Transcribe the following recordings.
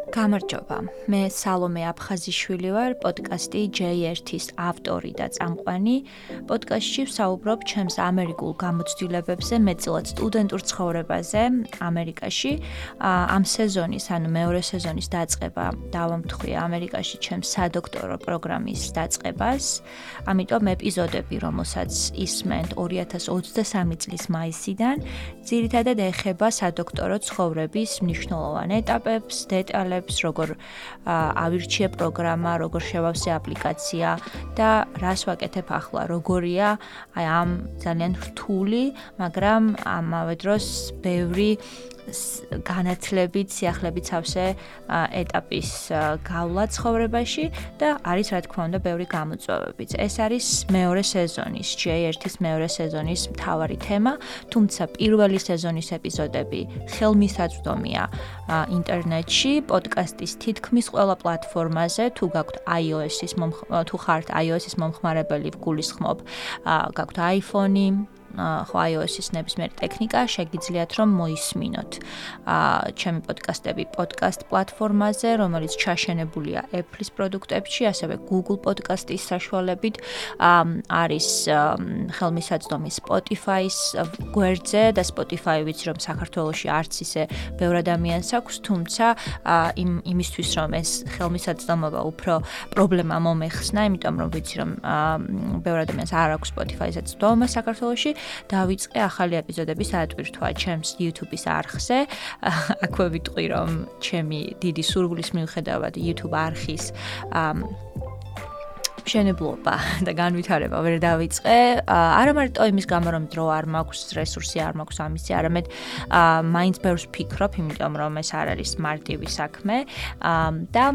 გამარჯობა, მე სალომე აფხაზიშვილი ვარ, პოდკასტი J1-ის ავტორი და წამყვანი. პოდკასტში ვსაუბრობ ჩემს ამერიკულ გამოცდილებებზე, მეტწილად სტუდენტურ ცხოვრებაზე ამერიკაში. ამ სეზონის, ანუ მეორე სეზონის დაწყება დავამტხვია ამერიკაში ჩემს სადოქტორო პროგრამის დაწყებას. ამიტომ ეპიზოდები, რომელსაც ისმენთ 2023 წლის მაისიდან, ძირითადად ეხება სადოქტორო ცხოვრების მნიშვნელოვან ეტაპებს, დეტალებს, როგორ ავირჩიე პროგრამა, როგორ შევავსე აპლიკაცია და რას ვაკეთებ ახლა, როგორია ამ ძალიან რთული, მაგრამ ამავე დროს ბევრი განათლებით, სიახლებით სავსე ეტაპის გავლა ცხოვრებაში და არის რა თქმა უნდა ბევრი გამოწვევებიც. ეს არის მეორე სეზონის, J1-ის მეორე სეზონის მთავარი თემა, თუმცა პირველი სეზონის ეპიზოდები ხელმისაწვდომია ინტერნეტში, პოდკასტის თითქმის ყველა პლატფორმაზე, თუ გაქვთ თუ ხართ iOS-ის მომხმარებელი, ვგულისხმობ, გაქვთ iPhone-ი, ხო iOS-ის ნებისმიერი ტექნიკა, შეგიძლიათ რომ მოისმინოთ ჩემი პოდკასტები პოდკასტ პლატფორმაზე, რომელიც ჩაშენებულია Apple-ის პროდუქტებში, ასევე Google პოდკასტის საშუალებით, არის ხელმისაწვდომი Spotify-ის გვერდზე და Spotify ვიცი რომ საქართველოში არც ისე ბევრ ადამიანს აქვს, თუმცა იმისთვის რომ ეს ხელმისაწვდომობა უფრო პრობლემა მომეხსნა, იმიტომ რომ ვიცი რომ ბევრ ადამიანს არ აქვს Spotify-ზე წვდომა საქართველოში. დავიწყე ახალი ეპიზოდების ატვირთვა ჩემს YouTube-ის არხზე. აქვე ვიტყვი რომ ჩემი დიდი სურვილის მიუხედავად YouTube არხის მშენებლობა და განვითარება ვერ დავიწყე. არა მარტო იმის გამო რომ დრო არ მაქვს, რესურსი არ მაქვს ამისი, არამედ მაინც ბევრს ვფიქრობ, იმიტომ რომ ეს არ არის მარტივი საქმე და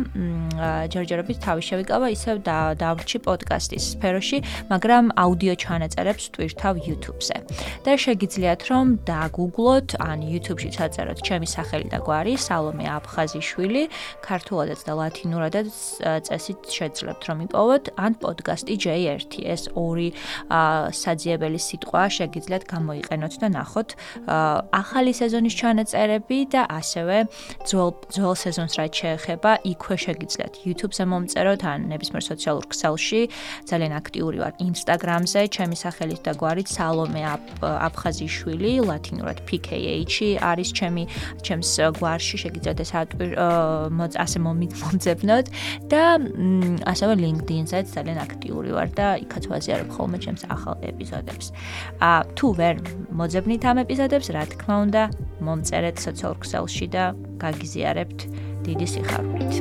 ჯერჯერობით თავი შევიკავა ისევ დავრჩი პოდკასტის სფეროში, მაგრამ აუდიო ჩანაწერებს ვტვირთავ YouTube-ზე. და შეგიძლიათ რომ დაგუგლოთ, ან YouTube-ში ჩაწეროთ ჩემი სახელი და გვარი, სალომე აფხაზიშვილი, ქართულადაც და ლათინურადაც წესით შეძლებთ რომ იპოვოთ, ან პოდკასტი J1, ეს ორი საძიებელი სიტყვა შეგიძლიათ გამოიყენოთ და ნახოთ ახალი სეზონის ჩანაწერები და ასევე ძველ სეზონს რაც შეეხება, იქვე შეგიძლიათ YouTube-ზე მომწეროთ, ან ნებისმიერ სოციალურ ქსელში, ძალიან აქტიური ვარ Instagram-ზე, ჩემი სახელით და გვარით სალომე აფხაზიშვილი, ლათინურად PKH არის ჩემს გვარში, შეგიძლიათ ეს ასე მომძებნოთ და ასევე LinkedIn-ზე ძალიან აქტიური ვარ და იქაც ვაზიარებ ხოლმე ჩემს ახალ ეპიზოდებს. თუ ვერ მოძებნით ამ ეპიზოდებს, რა თქმა უნდა, მომწერეთ სოციალურ ქსელში და გაგიზიარებთ დიდი სიხარულით.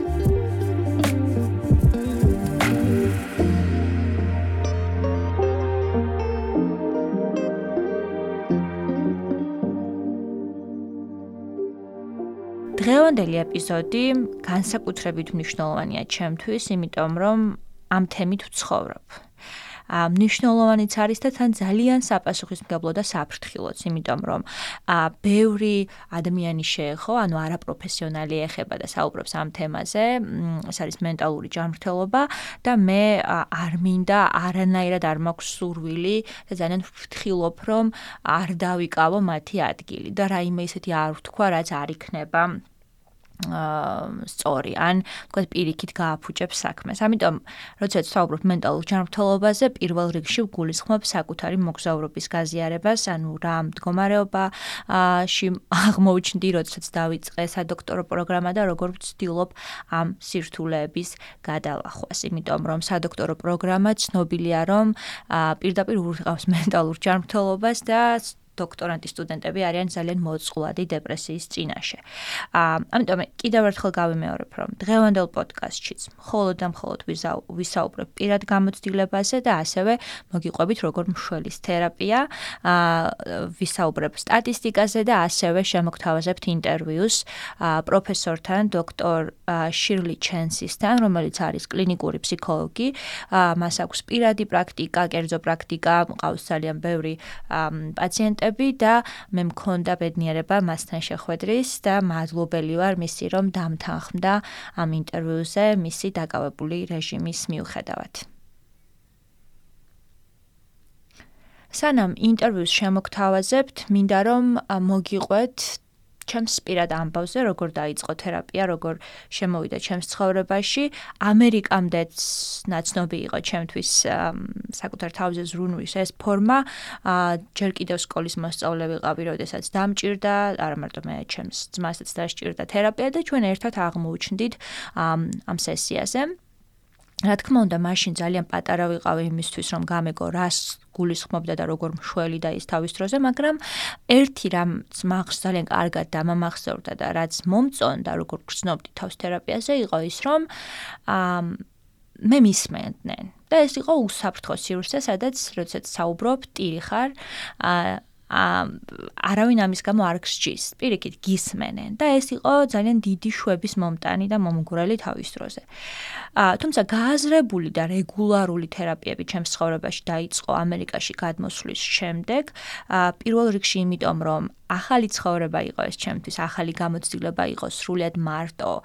დღევანდელი ეპიზოდი განსაკუთრებით მნიშვნელოვანია ჩემთვის, იმიტომ რომ ამ თემით ვცხოვრობ. მნიშვნელოვანიც არის და თან ძალიან საპასუხისმგებლო და საფრთხილოც, იმიტომ რომ ბევრი ადამიანი შეეხო, ანუ არაპროფესიონალი ეხება და საუბრობს ამ თემაზე, ეს არის მენტალური ჯანმრთელობა და მე არ მინდა, არანაირად არ მაქვს სურვილი და ძალიან ვფრთხილობ, რომ არ დავიკავო მათი ადგილი და რაიმე ისეთი არ ვთქვა, რაც არ იქნება სწორი, ან თქვათ პირიქით გააფუჭებს საქმეს. ამიტომ, როდესაც ვსაუბრობ მენტალურ ჯანმრთელობაზე, პირველ რიგში ვგულისხმობ საკუთარი მოგზაურობის გაზიარებას, ანუ რა მდგომარეობაში აღმოჩნდი, როდესაც დავიწყე სადოქტორო პროგრამა და როგორ ვცდილობ ამ სირთულეების გადალახვას. იმიტომ რომ სადოქტორო პროგრამა ცნობილია, რომ პირდაპირ ურღავს მენტალურ ჯანმრთელობას და დოქტორანტი სტუდენტები არიან ძალიან მოწყვლადი დეპრესიის წინაშე. ამიტომ კიდევ ერთხელ გავიმეორებ, რომ დღევანდელ პოდკასტშიც მხოლოდ და მხოლოდ ვისაუბრებ პირად გამოცდილებაზე და ასევე მოგიყვებით როგორ მშველის თერაპია, ვისაუბრებ სტატისტიკაზე და ასევე შემოგთავაზებთ ინტერვიუს პროფესორთან, დოქტორ შირლი ჩენსისთან, რომელიც არის კლინიკური ფსიქოლოგი, მას აქვს პირადი პრაქტიკა, კერძო პრაქტიკა, მყავს ძალიან ბევრი პაციენტი და მე მქონდა ბედნიერება მასთან შეხვედრის და მადლობელი ვარ მისი, რომ დამთანხმდა ამ ინტერვიუზე მისი დაკავებული რეჟიმის მიუხედავად. სანამ ინტერვიუს შემოგთავაზებთ, მინდა რომ მოგიყვეთ ჩემს პირად ამბავზე, როგორ დაიწყო თერაპია, როგორ შემოვიდა ჩემს ცხოვრებაში. ამერიკამდეც ნაცნობი იყო ჩემთვის საკუთარ თავზე ზრუნვის ეს ფორმა. ჯერ კიდევ სკოლის მოსწავლე ვიყავი, როდესაც დამჭირდა, არა მარტო მე, ჩემს ძმასაც დასჭირდა თერაპია და ჩვენ ერთად აღმოუჩნდით ამ სესიაზე. რა თქმა უნდა, მაშინ ძალიან პატარა ვიყავი იმისთვის, რომ გამეგო რას გულისხმობდა და როგორ მშველი და ის თავის დროზე, მაგრამ ერთი რამც მახს ძალიან კარგად დამამახსოვრდა და რაც მომწონდა, როგორ გრძნობდი თავს თერაპიაზე, იყო ის, რომ მე მისმენდნენ. და ეს იყო უსაფრთხო სივრცე, სადაც როდესაც საუბრობ, ტირი ხარ, არავინ ამის გამო არ გსჯის, პირიქით გისმენენ და ეს იყო ძალიან დიდი შვების მომტანი და მომგვრელი თავის დროზე. თუმცა გააზრებული და რეგულარული თერაპიები ჩემს ცხოვრებაში დაიწყო ამერიკაში გადმოსვლის შემდეგ, პირველ რიგში იმიტომ, რომ ახალი ცხოვრება იყო ეს ჩემთვის, ახალი გამოცდილება იყო სრულიად მარტო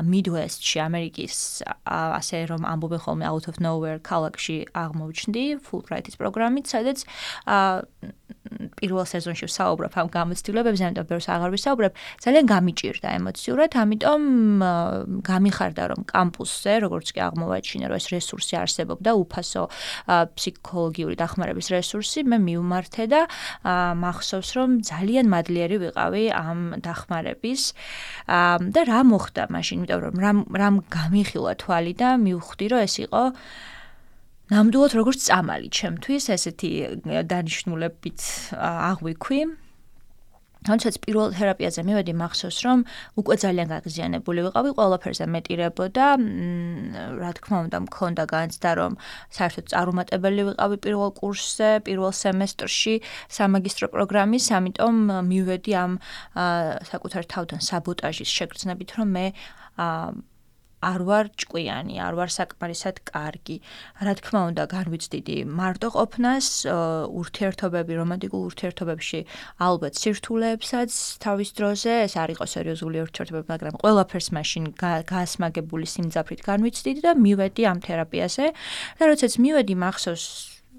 Midwest-ში, ამერიკის, ასე რომ ამბობენ ხოლმე out of nowhere ქალაქში აღმოჩნდი Fulbright-ის პროგრამით, სადაც პირველ სეზონში ვსაუბრობ ამ გამოცდილებებზე, ამიტომ ბევრს აღარ ვისაუბრებ, ძალიან გამიჭირდა ემოციურად, ამიტომ გამიხარდა, რომ კამპუსზე, როგორც კი აღმოვაჩინე, რომ ეს რესურსი არსებობდა, უფასო ფსიქოლოგიური დახმარების რესურსი, მე მივმართე და მახსოვს, რომ ძალიან მადლიერი ვიყავი ამ დახმარების და რა მოხდა მაშინ, იმიტომ რომ რამ გამიხილა თვალი და მივხვდი, რომ ეს იყო ნამდვილად როგორც წამალი ჩემთვის, ესეთი დანიშნულებით აღვიქვი. თუმცა პირველ თერაპიაზე მივედი, მახსოვს, რომ უკვე ძალიან გაღიზიანებული ვიყავი, ყველაფერზე მეტირებოდა, რა თქმა უნდა, მქონდა განცდა, რომ საერთოდ წარუმატებელი ვიყავი პირველ კურსზე, პირველ სემესტრში სამაგისტრო პროგრამის, ამიტომ მივედი ამ საკუთარ თავთან საბოტაჟის შეგრძნებით, რომ მე არ ვარ ჭკვიანი, არ ვარ საკმარისად კარგი. რა თქმა უნდა, განვიცდიდი მარტო ყოფნას, ურთიერთობები, რომანტიკულ ურთიერთობებში ალბათ სირთულეებსაც თავის დროზე, ეს არ იყო სერიოზული ურთიერთობები, მაგრამ ყველაფერს მაშინ გაასმაგებული სიმძაფრით განვიცდიდი და მივედი ამ თერაპიაზე. და როდესაც მივედი, მახსოვს,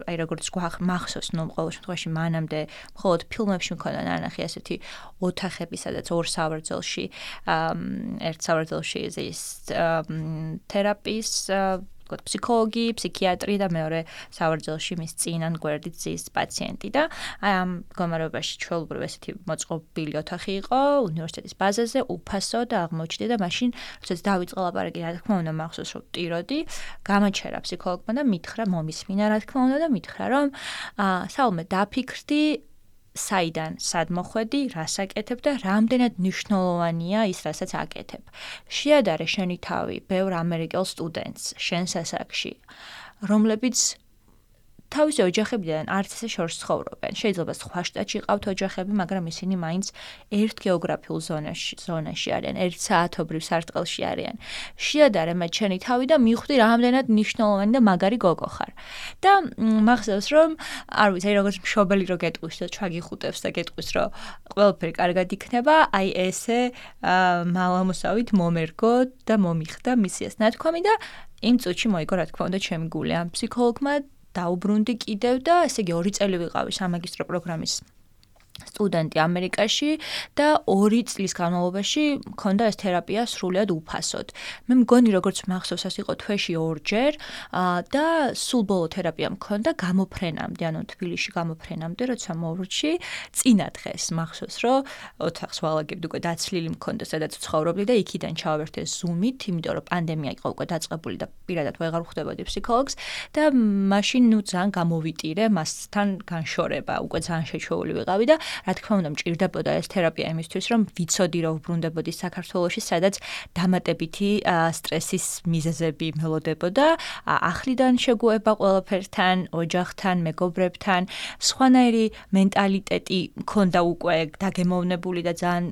აი როგორც მახსოვს, ნუ ყოველ შემთხვევაში მანამდე მხოლოდ ფილმებში მქონდა ნანახი ასეთი ოთახები, სადაც ორ სავარძელში, ერთ სავარძელში ის თერაპიის ფსიქოლოგი, ფსიქიატრი და მეორე სავარძელში მის წინან გვერდით ზის პაციენტი და აი ამ მდგომარეობაში ჩვეულებრივ ესეთი მოწყობილი ოთახი იყო უნივერსიტეტის ბაზაზე, უფასო და აღმოჩნდი და მაშინ როდესაც დავიწყე ლაპარაკი, რა თქმა უნდა მახსოვს, რომ ვტიროდი, გამაჩერა ფსიქოლოგმა და მითხრა, მომისმინა, რა თქმა უნდა და მითხრა, რომ საულმე დაფიქრდი საიდან სად მოხვედი, რას აკეთებ და რამდენად მნიშვნელოვანია ის, რასაც აკეთებ. შეადარე შენი თავი ბევრ ამერიკელ სტუდენტს შენს ასაკში, რომლებიც თავისი ოჯახებიდან არც ესე შორს ცხოვრობენ. შეიძლება სხვა შტატში ყავთ ოჯახები, მაგრამ ისინი მაინც ერთ გეოგრაფიულ ზონაში არიან, ერთ საათობრივ სარტყელში არიან. შეადარე მათ შენი თავი და მიხვდი რამდენად მნიშვნელოვანი და მაგარი გოგო ხარ. და მახსოვს, რომ არ ვიცი, როგორც მშობელი რო გეტყვის და ჩაგიხუტებს და გეტყვის, რომ ყველაფერი კარგად იქნება, აი ესე მალამოსავით მომერგო და მომიხდა მისიას ნათქვამი და იმ წუთში მოიგო, რა თქმა უნდა, ჩემი გული ამ ფსიქოლოგმა დაუბრუნდი კიდევ და ესე იგი 2 წელი ვიყავი სამაგისტრო პროგრამის სტუდენტი ამერიკაში და 2 წლის განმავლობაში მქონდა ეს თერაპია სრულიად უფასოდ. მე მგონი როგორც მახსოვს, ეს იყო თვეში 2-ჯერ და სულ ბოლო თერაპია მქონდა გამოფრენამდე, ანუ თბილისში გამოფრენამდე, როცა მოვრჩი, წინა დღეს მახსოვს, რომ ოთახს ვალაგებდი, უკვე დაცლილი მქონდა, სადაც ვცხოვრობდი და იქიდან ჩავერთე Zoom-ით, იმიტომ რომ პანდემია იყო უკვე დაწყებული და პირადად ვეღარ ვხვდებოდი ფსიქოლოგს და მაშინ ნუ ძალიან გამოვიტირე მასთან განშორება, უკვე ძალიან შეჩვეული ვიყავი და რა თქმა უნდა, მჭირდებოდა ეს თერაპია იმისთვის, რომ ვიცოდი, რომ ვბრუნდებოდი საქართველოში, სადაც დამატებითი სტრესის მიზეზები მელოდებოდა, ახლიდან შეგუება ყველაფერთან, ოჯახთან, მეგობრებთან, სხვანაირი მენტალიტეტი მქონდა უკვე დაგემოვნებული და ძალიან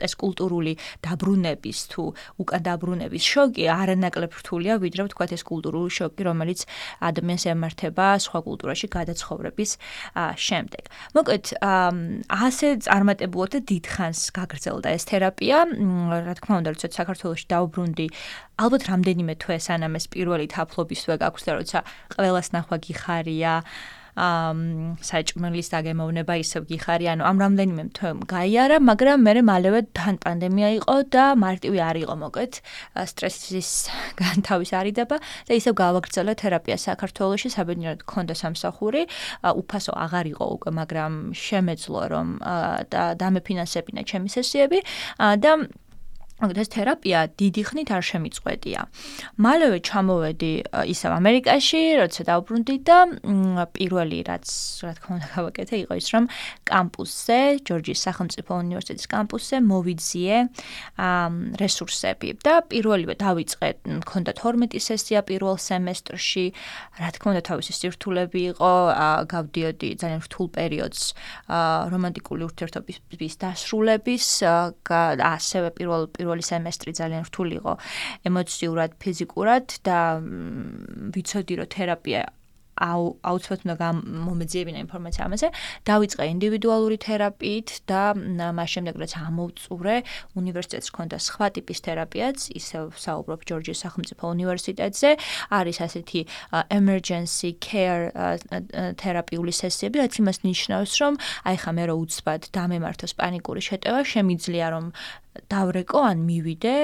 ეს კულტურული დაბრუნების თუ უკან დაბრუნების შოკი არანაკლებ რთულია, ვიდრე ვთქვათ ეს კულტურული შოკი, რომელიც ადამიანს ემართება სხვა კულტურაში გადაცხოვრების შემდეგ. მოკლედ, ასე წარმატებულად და დიდხანს გაგრძელდა ეს თერაპია. რა თქმა უნდა, როცა საქართველოში დავბრუნდი, ალბათ რამდენიმე თვე სანამ ეს პირველი თაფლობის თვე გაქვს და როცა ყველას ნახვა გიხარია, საჭმელის დაგემოვნება ისევ გიხარი, ანუ ამ რამდენიმე თვე გაიარა, მაგრამ მალევე თან პანდემია იყო და მარტივი არ იყო მოკლედ სტრესის განთავისარიდება და ისევ გავაგრძელე თერაპია საქართველოში, საბედნიეროდ გქონდა სამსახური, უფასო აღარ იყო უკვე, მაგრამ შემეძლო რომ და დამეფინანსებინა ჩემი სესიები და ეს თერაპია დიდი ხნით არ შემიწყვეტია. მალევე ჩამოვედი ისევ ამერიკაში, როცა დავბრუნდი და პირველი რაც რა თქმა უნდა გავაკეთე იყო ის რომ კამპუსზე, ჯორჯიის სახელმწიფო უნივერსიტეტის კამპუსზე მოვიძიე რესურსები და პირველივე დავიწყე, მქონდა 12 სესია პირველ სემესტრში, რა თქმა უნდა თავისი სირთულეები იყო, გავდიოდი ძალიან რთულ პერიოდს რომანტიკული ურთიერთობის დასრულების, ასევე პირველი სემესტრი ძალიან რთული იყო ემოციურად, ფიზიკურად და ვიცოდი რომ თერაპია აუცილებლად უნდა მომეძიებინა ინფორმაცია ამაზე, დავიწყე ინდივიდუალური თერაპიით და მას შემდეგ რაც ამოვწურე, უნივერსიტეტს ჰქონდა სხვა ტიპის თერაპიაც, ისევ საუბრობ ჯორჯიის სახელმწიფო უნივერსიტეტზე, არის ასეთი emergency care თერაპიული სესიები, რაც იმას ნიშნავს, რომ აი ხა მე რო უცბად დამემართოს პანიკური შეტევა, შემიძლია რომ დავრეკო ან მივიდე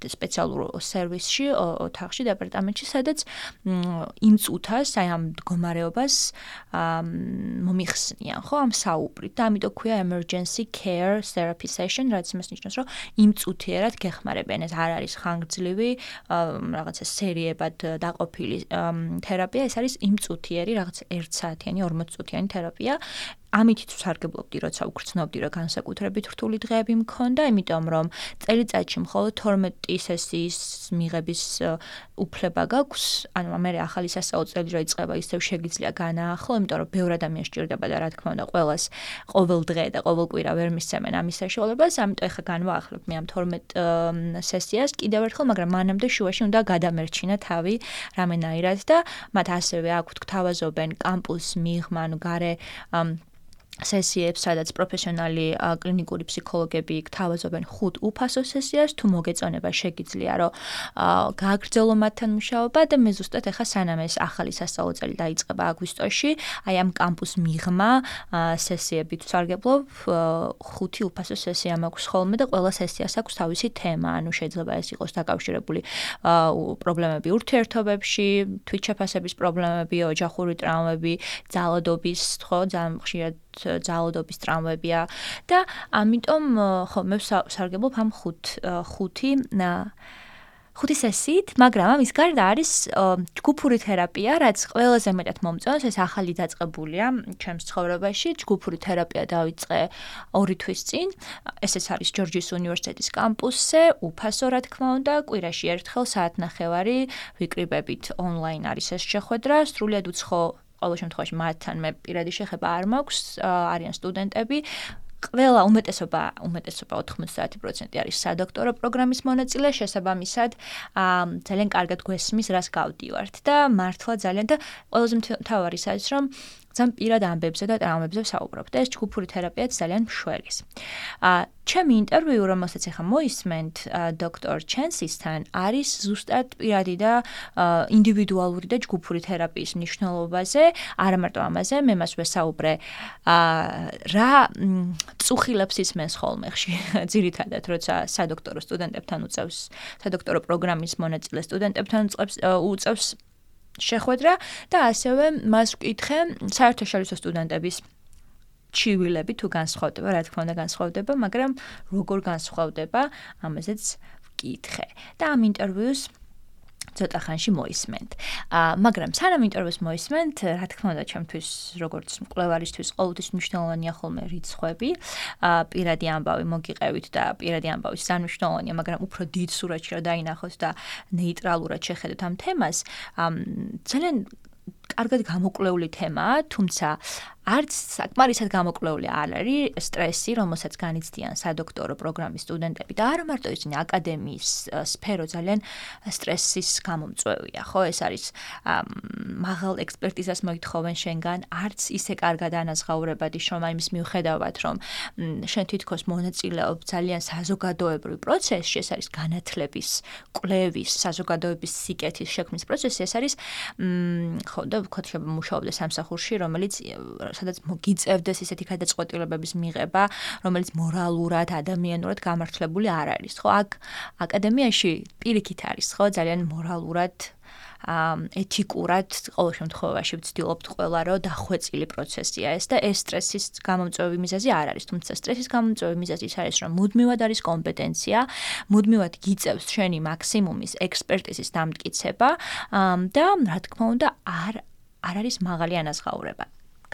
სპეციალურ სერვისში, ოთახში, დეპარტამენტში, სადაც იმ წუთას, აი ამ მდგომარეობას მომიხსნიან, ხო, ამ საუბრით და ამიტომ ქვია emergency care therapy session, რაც იმას ნიშნავს, რომ იმ წუთიერად გეხმარებიან, ეს არ არის ხანგრძლივი, რაღაცა სერიებად დაყოფილი თერაპია, ეს არის იმ წუთიერი, რაღაც 1 საათიანი, 40 წუთიანი თერაპია. ამით ვსარგებლობდი, როცა უგრძნობდი, რომ განსაკუთრებით რთული დღეები მქონდა, იმიტომ რომ წელიწადში მხოლოდ 12 სესიის მიღების უფლება გაქვს, ანუ მე ახალი სასწავლო წელი რო იწყება, ისევ შეგიძლია განაახლო, იმიტომ რომ ბევრ ადამიანს სჭირდება და რა თქმა უნდა, ყველას ყოველ დღე და ყოველ კვირა ვერ მისცემენ ამის საშუალებას, ამიტომ ეხლა განვაახლებ მე ამ 12 სესიას კიდევ ერთხელ, მაგრამ მანამდე შუაში უნდა გადამერჩინა თავი რამენაირად და მათ ასევე აქვთ გთავაზობენ კამპუს მიღმა, ანუ გარე სესიებს, სადაც პროფესიონალი კლინიკური ფსიქოლოგები გთავაზობენ 5 უფასო სესიას, თუ მოგეწონება შეგიძლია რომ გააგრძელო მათთან მუშაობა და მე ზუსტად ახლა სანამ ეს ახალი სასწავლო წელი დაიწყება აგვისტოში, აი ამ კამპუს მიღმა სესიებით ვსარგებლობ, 5 უფასო სესია მაქვს ხოლმე და ყველა სესიას აქვს თავისი თემა, ანუ შეიძლება ეს იყოს დაკავშირებული პრობლემები ურთიერთობებში, თვითშეფასების პრობლემები, ოჯახური ტრავმები, ძალადობის, ხო, ძალიან ხშირად ძალადობის ტრავმებია და ამიტომ ხო მე ვსარგებლობ ამ 5 სესიით, მაგრამ ამის გარდა არის ჯგუფური თერაპია, რაც ყველაზე მეტად მომწონს, ეს ახალი დაწყებულია ჩემს ცხოვრებაში, ჯგუფური თერაპია დავიწყე 2 თვის წინ, ესეც არის ჯორჯიის უნივერსიტეტის კამპუსზე, უფასო რა თქმა უნდა, კვირაში ერთხელ საათნახევარი ვიკრიბებით ონლაინ არის ეს შეხვედრა, სრულიად უცხო ყოველ შემთხვევაში მათთან მე პირადი შეხება არ მაქვს, არიან სტუდენტები. ყველა უმეტესობა 90% არის სადოქტორო პროგრამის მონაწილე, შესაბამისად ძალიან კარგად გვესმის, რას გავდივართ და მართლა ძალიან და ყველაზე მთავარი არის რომ ძალიან პირად ამბებზე და ტრავმებზე ვსაუბრობ და ეს ჯგუფური თერაპიაც ძალიან მშვერის. ჩემი ინტერვიუ, რომელსაც ახლა მოისმენთ დოქტორ ჩენსისთან, არის ზუსტად პირადი და ინდივიდუალური და ჯგუფური თერაპიის მნიშვნელობაზე, არა მარტო ამაზე, მე მას ვესაუბრე რა წუხილებს ისმენს ხოლმე ძირითადად, როცა სადოქტორო სტუდენტებთან უწევს, სადოქტორო პროგრამის მონაწილე სტუდენტებთან უწევს შეხვედრა და ასევე მას ვკითხე საერთაშორისო სტუდენტების ჩივილები თუ განსხვავდება, რა თქმა უნდა განსხვავდება, მაგრამ როგორ განსხვავდება, ამაზეც ვკითხე. და ამ ინტერვიუს ცოტა ხანში მოისმენთ. მაგრამ სანამ ინტერვიუს მოისმენთ, რა თქმა უნდა, ჩემთვის როგორც მკვლევარისთვის ყოველთვის მნიშვნელოვანია ხოლმე რიცხვები, პირადი ამბავი მოგიყევით და პირადი ამბავის მნიშვნელოვანია, მაგრამ უფრო დიდ სურათში რომ დაინახოთ და ნეიტრალურად შეხედოთ ამ თემას, ძალიან კარგად გამოკვლეული თემაა, თუმცა არც საკმარისად გამოკვლეული არ არის სტრესი, რომელსაც განიცდიან სადოქტორო პროგრამის სტუდენტები და არა მარტო ისინი აკადემიის სფერო ძალიან სტრესის გამომწვევია, ხო? ეს არის მაღალ ექსპერტიზას მოითხოვენ შენგან, არც ისე კარგად ანაზღაურებადი შრომა იმის მიუხედავად, რომ შენ თითქოს მონაწილეობ ძალიან საზოგადოებრივ პროცესში, ეს არის განათლების, კვლევის, საზოგადოების სიკეთის შექმნის პროცესი, ეს არის ხო და ვთქვათ, მუშაობდე სამსახურში, რომელიც სადაც მოგიწევდეს ისეთი გადაწყვეტილებების მიღება, რომელიც მორალურად, ადამიანურად გამართლებული არ არის, ხო? აქ აკადემიაში პირიქით არის, ხო, ძალიან მორალურად ეთიკურად ყოველ შემთხვევაში ვცდილობთ ყველა რომ დახვეწილი პროცესია ეს და ეს სტრესის გამომწვევი მიზეზი არ არის, თუმცა სტრესის გამომწვევი მიზეზი ის არის, რომ მუდმივად არის კომპეტენცია, მუდმივად გიწევს შენი მაქსიმუმის ექსპერტიზის დამტკიცება და რა თქმა უნდა არ არის მაღალი ანაზღაურება.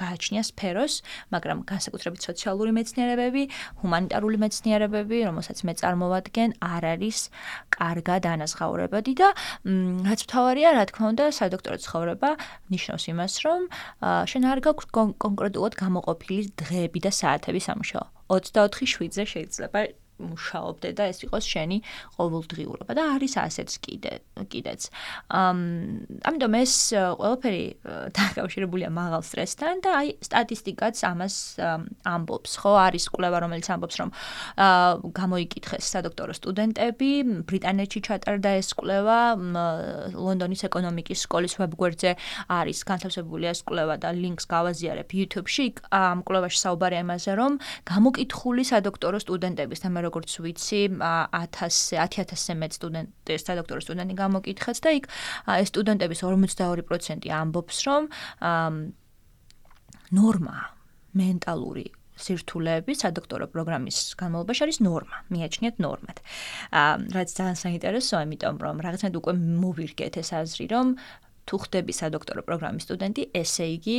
გააჩნია სფეროს, მაგრამ განსაკუთრებით სოციალური მეცნიერებები, ჰუმანიტარული მეცნიერებები, რომელსაც მე წარმოვადგენ, არ არის კარგად ანაზღაურებადი და რაც მთავარია, რა თქმა უნდა, სადოქტორო ცხოვრება ნიშნავს იმას, რომ შენ არ გაქვს კონკრეტულად გამოყოფილი დღეები და საათები სამუშაო. 24/7-ზე შეიძლება მუშაობდე და ეს იყოს შენი ყოველდღიურობა და არის ასეც კიდეც. ამიტომ ეს ყველაფერი დაკავშირებულია მაღალ სტრესთან და აი სტატისტიკაც ამას ამბობს, ხო? არის კვლევა, რომელიც ამბობს, რომ გამოიკითხეს სადოქტორო სტუდენტები, ბრიტანეთში ჩატარდა ეს კვლევა, ლონდონის ეკონომიკის სკოლის ვებგვერდზე არის განთავსებული ეს კვლევა და ლინკს გავაზიარებ YouTube-ში. ამ კვლევაში საუბარია იმაზე, რომ გამოკითხული სადოქტორო სტუდენტების და როგორც ვიცი 10,000-ზე მეტ სადოქტორო სტუდენტი გამოკითხეს და იქ ეს სტუდენტების 52% ამბობს, რომ ნორმა მენტალური სირთულეები სადოქტორო პროგრამის განმავლობაში არის ნორმა, მიაჩნიათ ნორმად. რაც ძალიან საინტერესოა, იმიტომ რომ რაღაცნაირად უკვე მოვირგეთ ეს აზრი, რომ თუ ხდები სადოქტორო პროგრამის სტუდენტი, ესე იგი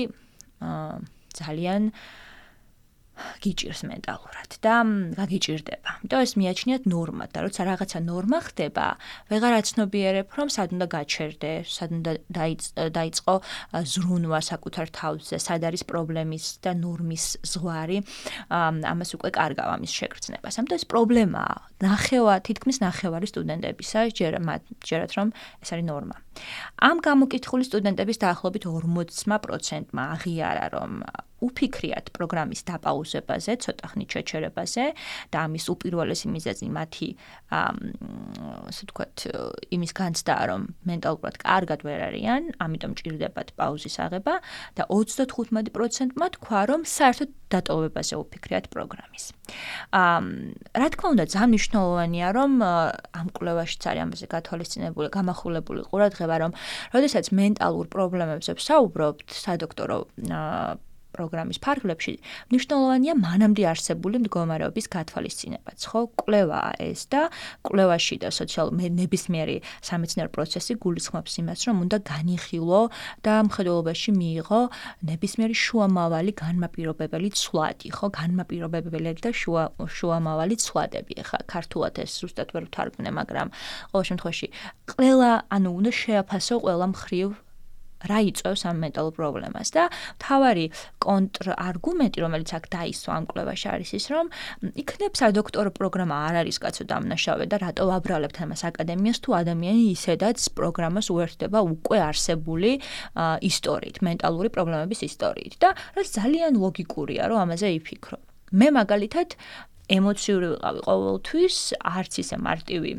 ძალიან გიჭირს მენტალურად და გაგიჭირდება. იმიტომ ეს მიაჩნიათ ნორმად და როცა რაღაცა ნორმა ხდება, ვეღარ აცნობიერებ, რომ სად უნდა გაჩერდე, სად უნდა დაიწყო ზრუნვა საკუთარ თავზე, სად არის პრობლემის და ნორმის ზღვარი, ამას უკვე კარგავ ამის შეგრძნებას. ამიტომ ეს პრობლემაა. თითქმის ნახევარი სტუდენტებისა ჯერათ, რომ ეს არის ნორმა. ამ გამოკითხული სტუდენტების დაახლოებით 40%-მა აღიარა, რომ უფიქრიათ პროგრამის დაპაუზებაზე, ცოტა ხნით შეჩერებაზე და ამის უპირველესი მიზეზი მათი ასე ვთქვათ, იმის განცდაა, რომ მენტალურად კარგად ვერ არიან, ამიტომ ჭირდებათ პაუზის აღება და 35%-მა თქვა, რომ საერთოდ დატოვებაზე უფიქრიათ პროგრამის. რა თქმა უნდა, ძალიან მნიშვნელოვანია, რომ ამ კვლევაშიც არის ამაზე გათვალისწინებული, გამახვილებული ყურადღება, რომ როდესაც მენტალურ პრობლემებზე ვსაუბრობთ სადოქტორო პროგრამის ფარგლებში, მნიშვნელოვანია მანამდე არსებული მდგომარეობის გათვალისწინებაც, ხო? კვლევაა ეს და კვლევაში და ნებისმიერი სამეცნიერო პროცესი გულისხმობს იმას, რომ უნდა განიხილო და მხედველობაში მიიღო ნებისმიერი შუამავალი განმაპირობებელი ცვლადი, ხო? განმაპირობებელი და შუამავალი ცვლადები. ახლა ქართულად ეს ზუსტად ვერ ვთარგმნე, მაგრამ ყოველ შემთხვევაში უნდა შეაფასო ყველა მხრივ რა იწვევს ამ მენტალურ პრობლემას და მთავარი კონტრარგუმენტი, რომელიც აქ დაისვა ამ კვლევაში არის ის, რომ იქნებ სადოქტორო პროგრამა არ არის კაცო დამნაშავე და რატო ვაბრალებთ ამას აკადემიას, თუ ადამიანი ისედაც პროგრამას უერთდება უკვე არსებული ისტორიით, მენტალური პრობლემების ისტორიით და რაც ძალიან ლოგიკურია, რომ ამაზე იფიქრო. მე მაგალითად ემოციური ვიყავი ყოველთვის, არც ისე მარტივი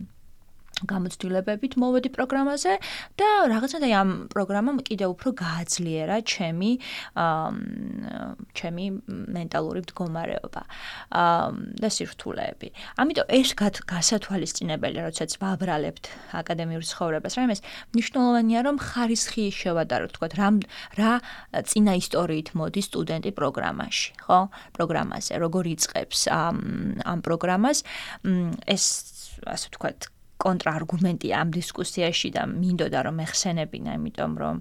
გამოცდილებებით მოვედი პროგრამაზე და რაღაცნაირად ამ პროგრამამ კიდევ უფრო გააძლიერა ჩემი მენტალური მდგომარეობა და სირთულეები. ამიტომ ეს გასათვალისწინებელია, როდესაც ვაბრალებთ აკადემიურ ცხოვრებას, რა იმის მნიშვნელოვანია, რომ ხარისხი შევადაროთ, თქვათ, რა წინა ისტორიით მოდის სტუდენტი პროგრამაში, ხო? პროგრამაზე, როგორ იწყებს ამ პროგრამას, ეს ასე ვთქვათ, კონტრარგუმენტია ამ დისკუსიაში და მინდოდა რომ ეხსენებინა, იმიტომ რომ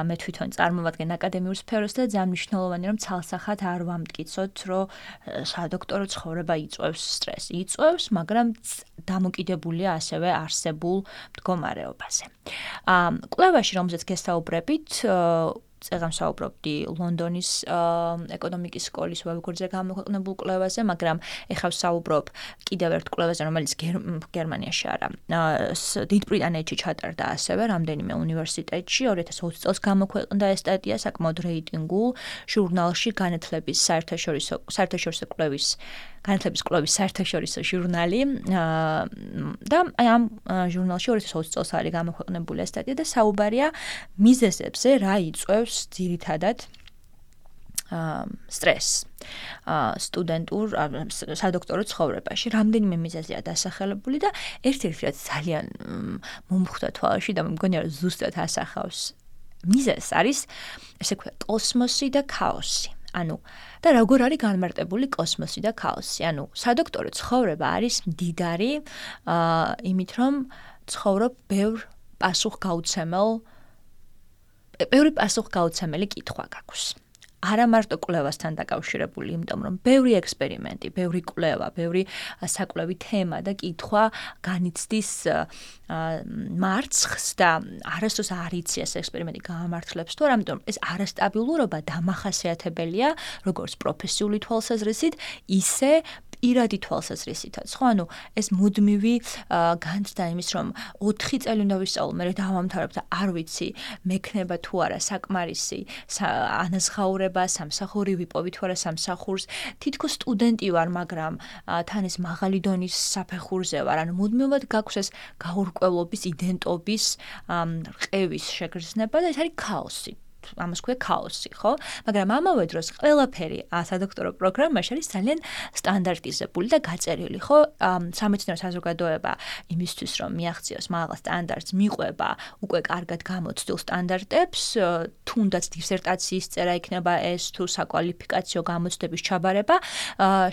მე თვითონ წარმოვადგენ აკადემიურ სფეროს და ძალიან მნიშვნელოვანია რომ ცალსახად არ ვამტკიცოთ, რომ სადოქტორო ცხოვრება იწვევს სტრესს. იწვევს, მაგრამ დამოკიდებულია ასევე არსებულ მდგომარეობაზე. კვლევაში, რომელზეც გესაუბრებით, წეგან საუბრობდი ლონდონის ეკონომიკის სკოლის ვებგვერდზე გამოქვეყნებულ კვლევაზე, მაგრამ ეხლა ვსაუბრობ კიდევ ერთ კვლევაზე, რომელიც გერმანიაში არა, დიდ ბრიტანეთში ჩატარდა ასევე რამდენიმე უნივერსიტეტში 2020 წელს გამოქვეყნდა ეს სტატია საკმაოდ რეიტინგულ ჟურნალში განათლების საერთაშორისო კვლევის საერთაშორისო ჟურნალი და აი ამ ჟურნალში 2020 წელს არის გამოქვეყნებული ეს სტატია და საუბარია მიზეზებზე, რა იწვევს ძირითადად სტრესს სტუდენტურ სადოქტორო ცხოვრებაში. რამდენიმე მიზეზია დასახელებული და ერთ-ერთი რაც ძალიან მომხვდა თვალში და მგონია რომ ზუსტად ასახავს მიზეზს არის ესე ვქვია კოსმოსი და ქაოსი. ანუ და როგორ არის განმარტებული კოსმოსი და ქაოსი? ანუ სადოქტორო ცხოვრება არის მდიდარი იმით რომ ცხოვრობ ბევრი პასუხგაუცემელი კითხვა გაქვს. არა მარტო კვლევასთან დაკავშირებული, იმიტომ რომ ბევრი ექსპერიმენტი, ბევრი კვლევა, ბევრი საკვლევი თემა და კითხვა განიცდის მარცხს და არასდროს არ იცი ეს ექსპერიმენტი გაამართლებს თუ არა, ამიტომ ეს არასტაბილურობა დამახასიათებელია როგორც პროფესიული თვალსაზრისით, ისე პირადი თვალსაზრისითაც, ხო? ანუ ეს მუდმივი განცდა იმის, რომ 4 წელი უნდა ვისწავლო, მე დავამთავრებ და არ ვიცი, მექნება თუ არა საკმარისი ანაზღაურება, სამსახური ვიპოვი თუ არა სამსახურს, თითქოს სტუდენტი ვარ, მაგრამ თან ეს მაღალი დონის საფეხურზე ვარ, ანუ მუდმივად გაქვს ეს გაურკვევლობის, იდენტობის, რყევის შეგრძნება და ეს არის ქაოსი. ამას ქვია ქაოსი, ხო? მაგრამ ამავე დროს ყველაფერი სადოქტორო პროგრამაში არის ძალიან სტანდარტიზებული და გაწერილი, ხო? სამეცნიერო საზოგადოება იმისთვის, რომ მიაღწიოს მაღალ სტანდარტს, მიყვება უკვე კარგად გამოცდილ სტანდარტებს, თუნდაც დისერტაციის წერა იქნება ეს თუ საკვალიფიკაციო გამოცდების ჩაბარება,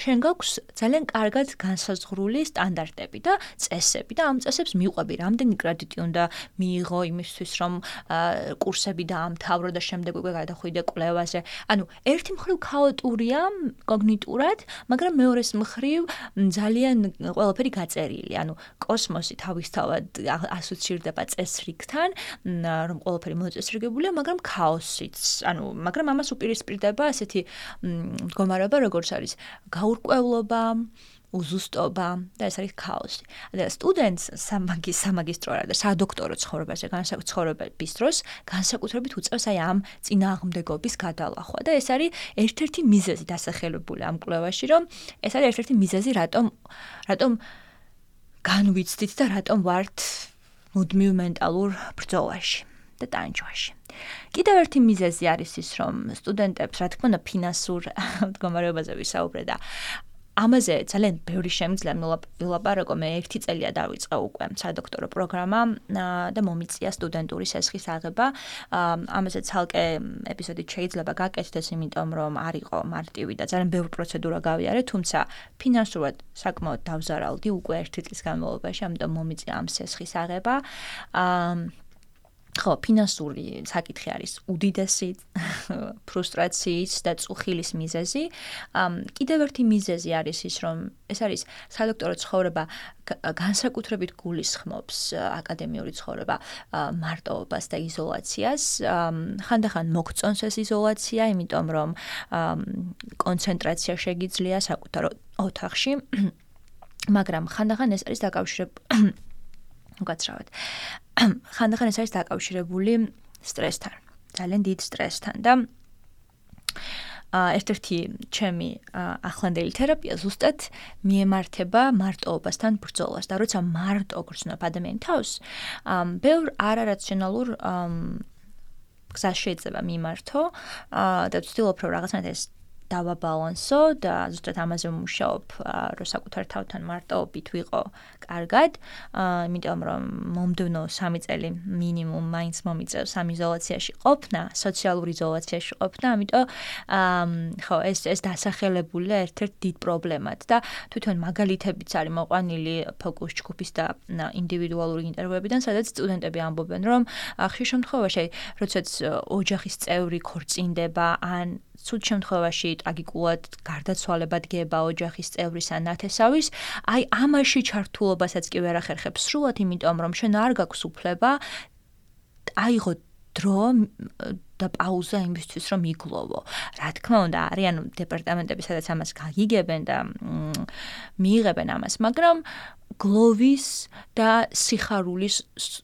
შენ გაქვს ძალიან კარგად განსაზღვრული სტანდარტები და წესები და ამ წესებს მიყვები, რამდენი კრედიტი უნდა მიიღო იმისთვის, რომ კურსები დაამთავრო და შემდეგ უკვე გადახვიდე კვლევაზე. ანუ ერთი მხრივ ქაოტურია კოგნიტურად, მაგრამ მეორეს მხრივ ძალიან ყველაფერი გაწერილი. ანუ კოსმოსი თავისთავად ასოცირდება წესრიგთან, რომ ყველაფერი მოწესრიგებულია, მაგრამ ქაოსიც. ანუ მაგრამ ამას უპირისპირდება ესეთი მდგომარეობა, როგორც არის გაურკვევლობა, უზუსტობა და ეს არის ქაოსი. და სტუდენტს სამაგისტრო და სადოქტორო ცხოვრებაზე განსაკუთრების დროს განსაკუთრებით უწევს აი ამ წინააღმდეგობის გადალახვა და ეს არის ერთ-ერთი მიზეზი დასახელებული ამ კვლევაში, რომ ეს არის ერთ-ერთი მიზეზი, რატომ განვიცდით და რატომ ვართ მუდმივ მენტალურ ბრძოლაში და ტანჯვაში. კიდევ ერთი მიზეზი არის ის, რომ სტუდენტებს, რა თქმა უნდა, ფინანსურ მდგომარეობაზე ვისაუბრე და ამაზე ძალიან ბევრი შემიძლია ვილაპარაკო, მე 1 წელია დავიწყე უკვე სადოქტორო პროგრამა და მომიწია სტუდენტური სესხის აღება. ამაზე ცალკე ეპიზოდი შეიძლება გაკეთდეს, იმიტომ რომ არ იყო მარტივი და ძალიან ბევრი პროცედურა გავიარე, თუმცა ფინანსურად საკმაოდ დავზარალდი უკვე 1 წლის განმავლობაში, ამიტომ მომიწია ამ სესხის აღება. ხო, ფინანსური საკითხი არის უდიდესი ფრუსტრაციის და წუხილის მიზეზი. კიდევ ერთი მიზეზი არის ის, რომ ეს არის სადოქტორო ცხოვრება განსაკუთრებით გულისხმობს აკადემიური ცხოვრება მარტოობას და იზოლაციას. ხანდახან მოგწონს ეს იზოლაცია, იმიტომ რომ კონცენტრაცია შეგიძლია საკუთარ ოთახში, მაგრამ ხანდახან ეს არის ხანდახან ეს არის დაკავშირებული სტრესთან, ძალიან დიდ სტრესთან და ერთ-ერთი ჩემი ახლანდელი თერაპია ზუსტად მიემართება მარტოობასთან ბრძოლას და როცა მარტო გრძნობ ადამიანი თავს, ბევრ არარაციონალურ გზას შეიძლება მიმართო და ვცდილობ რომ რაღაცნაირად ეს დავაბალანსო და ზუსტად ამაზე ვმუშაობ, რომ საკუთარ თავთან მარტოობით ვიყო კარგად, იმიტომ რომ მომდევნო 3 წელი მინიმუმ მაინც მომიწევს ამ იზოლაციაში ყოფნა, სოციალურ იზოლაციაში ყოფნა, ამიტომ ხო, ეს დასახელებულია ერთ-ერთ დიდ პრობლემად და თვითონ მაგალითებიც არის მოყვანილი ფოკუს ჯგუფის და ინდივიდუალური ინტერვიუებიდან, სადაც სტუდენტები ამბობენ, რომ ხშირ შემთხვევაში, როდესაც ოჯახის წევრი ქორწინდება ან სულ შემთხვევაში ტრაგიკულად გარდაცვალება დგება ოჯახის წევრის ან ნათესავის, აი ამაში ჩართულობასაც კი ვერ ახერხებს სრულად, იმიტომ რომ შენ არ გაქვს უფლება აიღო დრო სურდა პაუზა იმისთვის, რომ იგლოვო. Რა თქმა უნდა, არიან დეპარტამენტები, სადაც ამას გაგიგებენ და მიიღებენ ამას, მაგრამ გლოვის და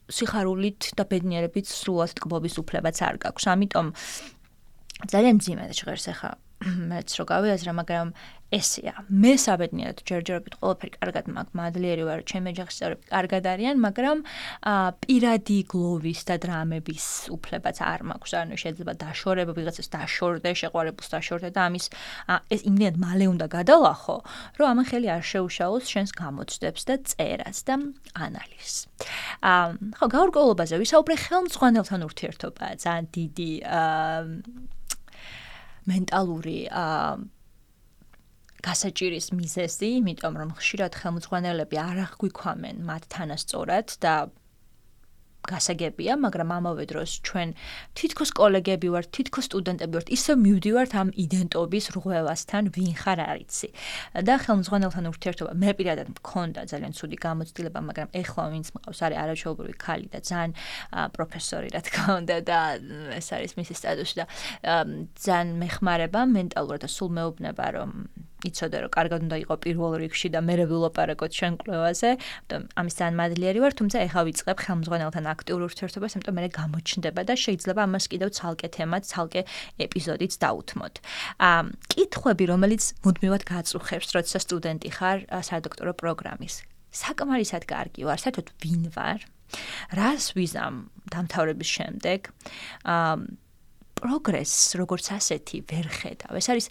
სიხარულით და ბედნიერებით სრულად ტკბობის უფლებაც არ გაქვს. ამიტომ ძალიან მძიმედ ჟღერს ახლა მეც რო გავიაზრა, მაგრამ ესეა. მე საბედნიეროდ ჯერჯერობით ყველაფერი კარგად მაქვს, მადლიერი ვარ, ჩემი ოჯახის წევრები კარგად არიან, მაგრამ პირადი გლოვის და დრამების უფლებაც არ მაქვს. ანუ შეიძლება დაშორება, ვიღაცას დაშორდე, შეყვარებულს დაშორდე და ამის ეს იმდენად მალე უნდა გადალახო, რომ ამან ხელი არ შეუშალოს შენს გამოცდებს და წერას და ანალიზს. ხო, გაურკვევლობაზე ვისაუბრე, ხელმძღვანელთან ურთიერთობაა ძალიან დიდი მენტალური გასაჭირის მიზეზი, იმიტომ რომ ხშირად ხელმძღვანელები არ აღგვიქვამენ მათ თანასწორად და გასაგებია, მაგრამ ამავე დროს ჩვენ თითქოს კოლეგები ვართ, თითქოს სტუდენტები ვართ, ისევ მივდივართ ამ იდენტობის რღვევასთან, ვინ ხარ არ იცი. და ხელმძღვანელთან ურთიერთობა მე პირადად მქონდა ძალიან ცუდი გამოცდილება, მაგრამ ეხლა ვინც მყავს არის არაჩვეულებრივი ქალი და ძალიან პროფესორი რა თქმა უნდა და ეს არის მისი სტატუსი და ძალიან მეხმარება მენტალურად და სულ მეუბნება რომ იცოდე რომ კარგად უნდა იყო პირველ რიგში და მე ვილაპარაკოთ შენ კვლევაზე, ამის ძალიან მადლიერი ვარ, თუმცა ეხლა ვიწყებ ხელმძღვანელთან აქტიურ ურთიერთობას, იმიტომ მე გამოჩნდება და შეიძლება ამას კიდევ ცალკე თემად, ცალკე ეპიზოდიც დავუთმოთ. კითხვები, რომელიც მუდმივად გაწუხებს, როცა სტუდენტი ხარ სადოქტორო პროგრამის. საკმარისად კარგი ვარ, საერთოდ ვინ ვარ? რას ვიზამ დამთავრების შემდეგ? პროგრესს როგორც ასეთი ვერ ხედავ. ეს არის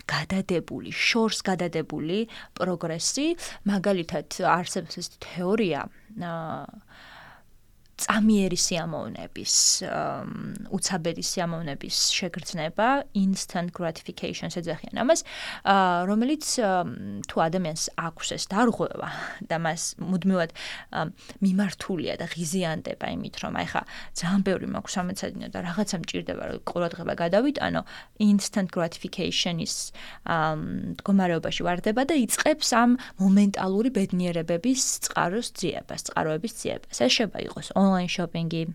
გადადებული, შორს გადადებული პროგრესი, მაგალითად არსებობს ეს თეორია წამიერი სიამოვნების, უცაბედი სიამოვნების შეგრძნება, instant gratification ეძახიან ამას, რომელიც თუ ადამიანს აქვს ეს დარღვევა და მას მუდმივად მიმართულია და ღიზიანდება იმით, რომ აი ხა ძალიან ბევრი მაქვს სამეცადინო და რაღაცა მჭირდება, რომ ყურადღება გადავიტანო, instant gratification-ის მდგომარეობაში ვარდება და იწყებს ამ მომენტალური ბედნიერებების წყაროების ძიებას. ეს შეიძლება იყოს online shopping-ი,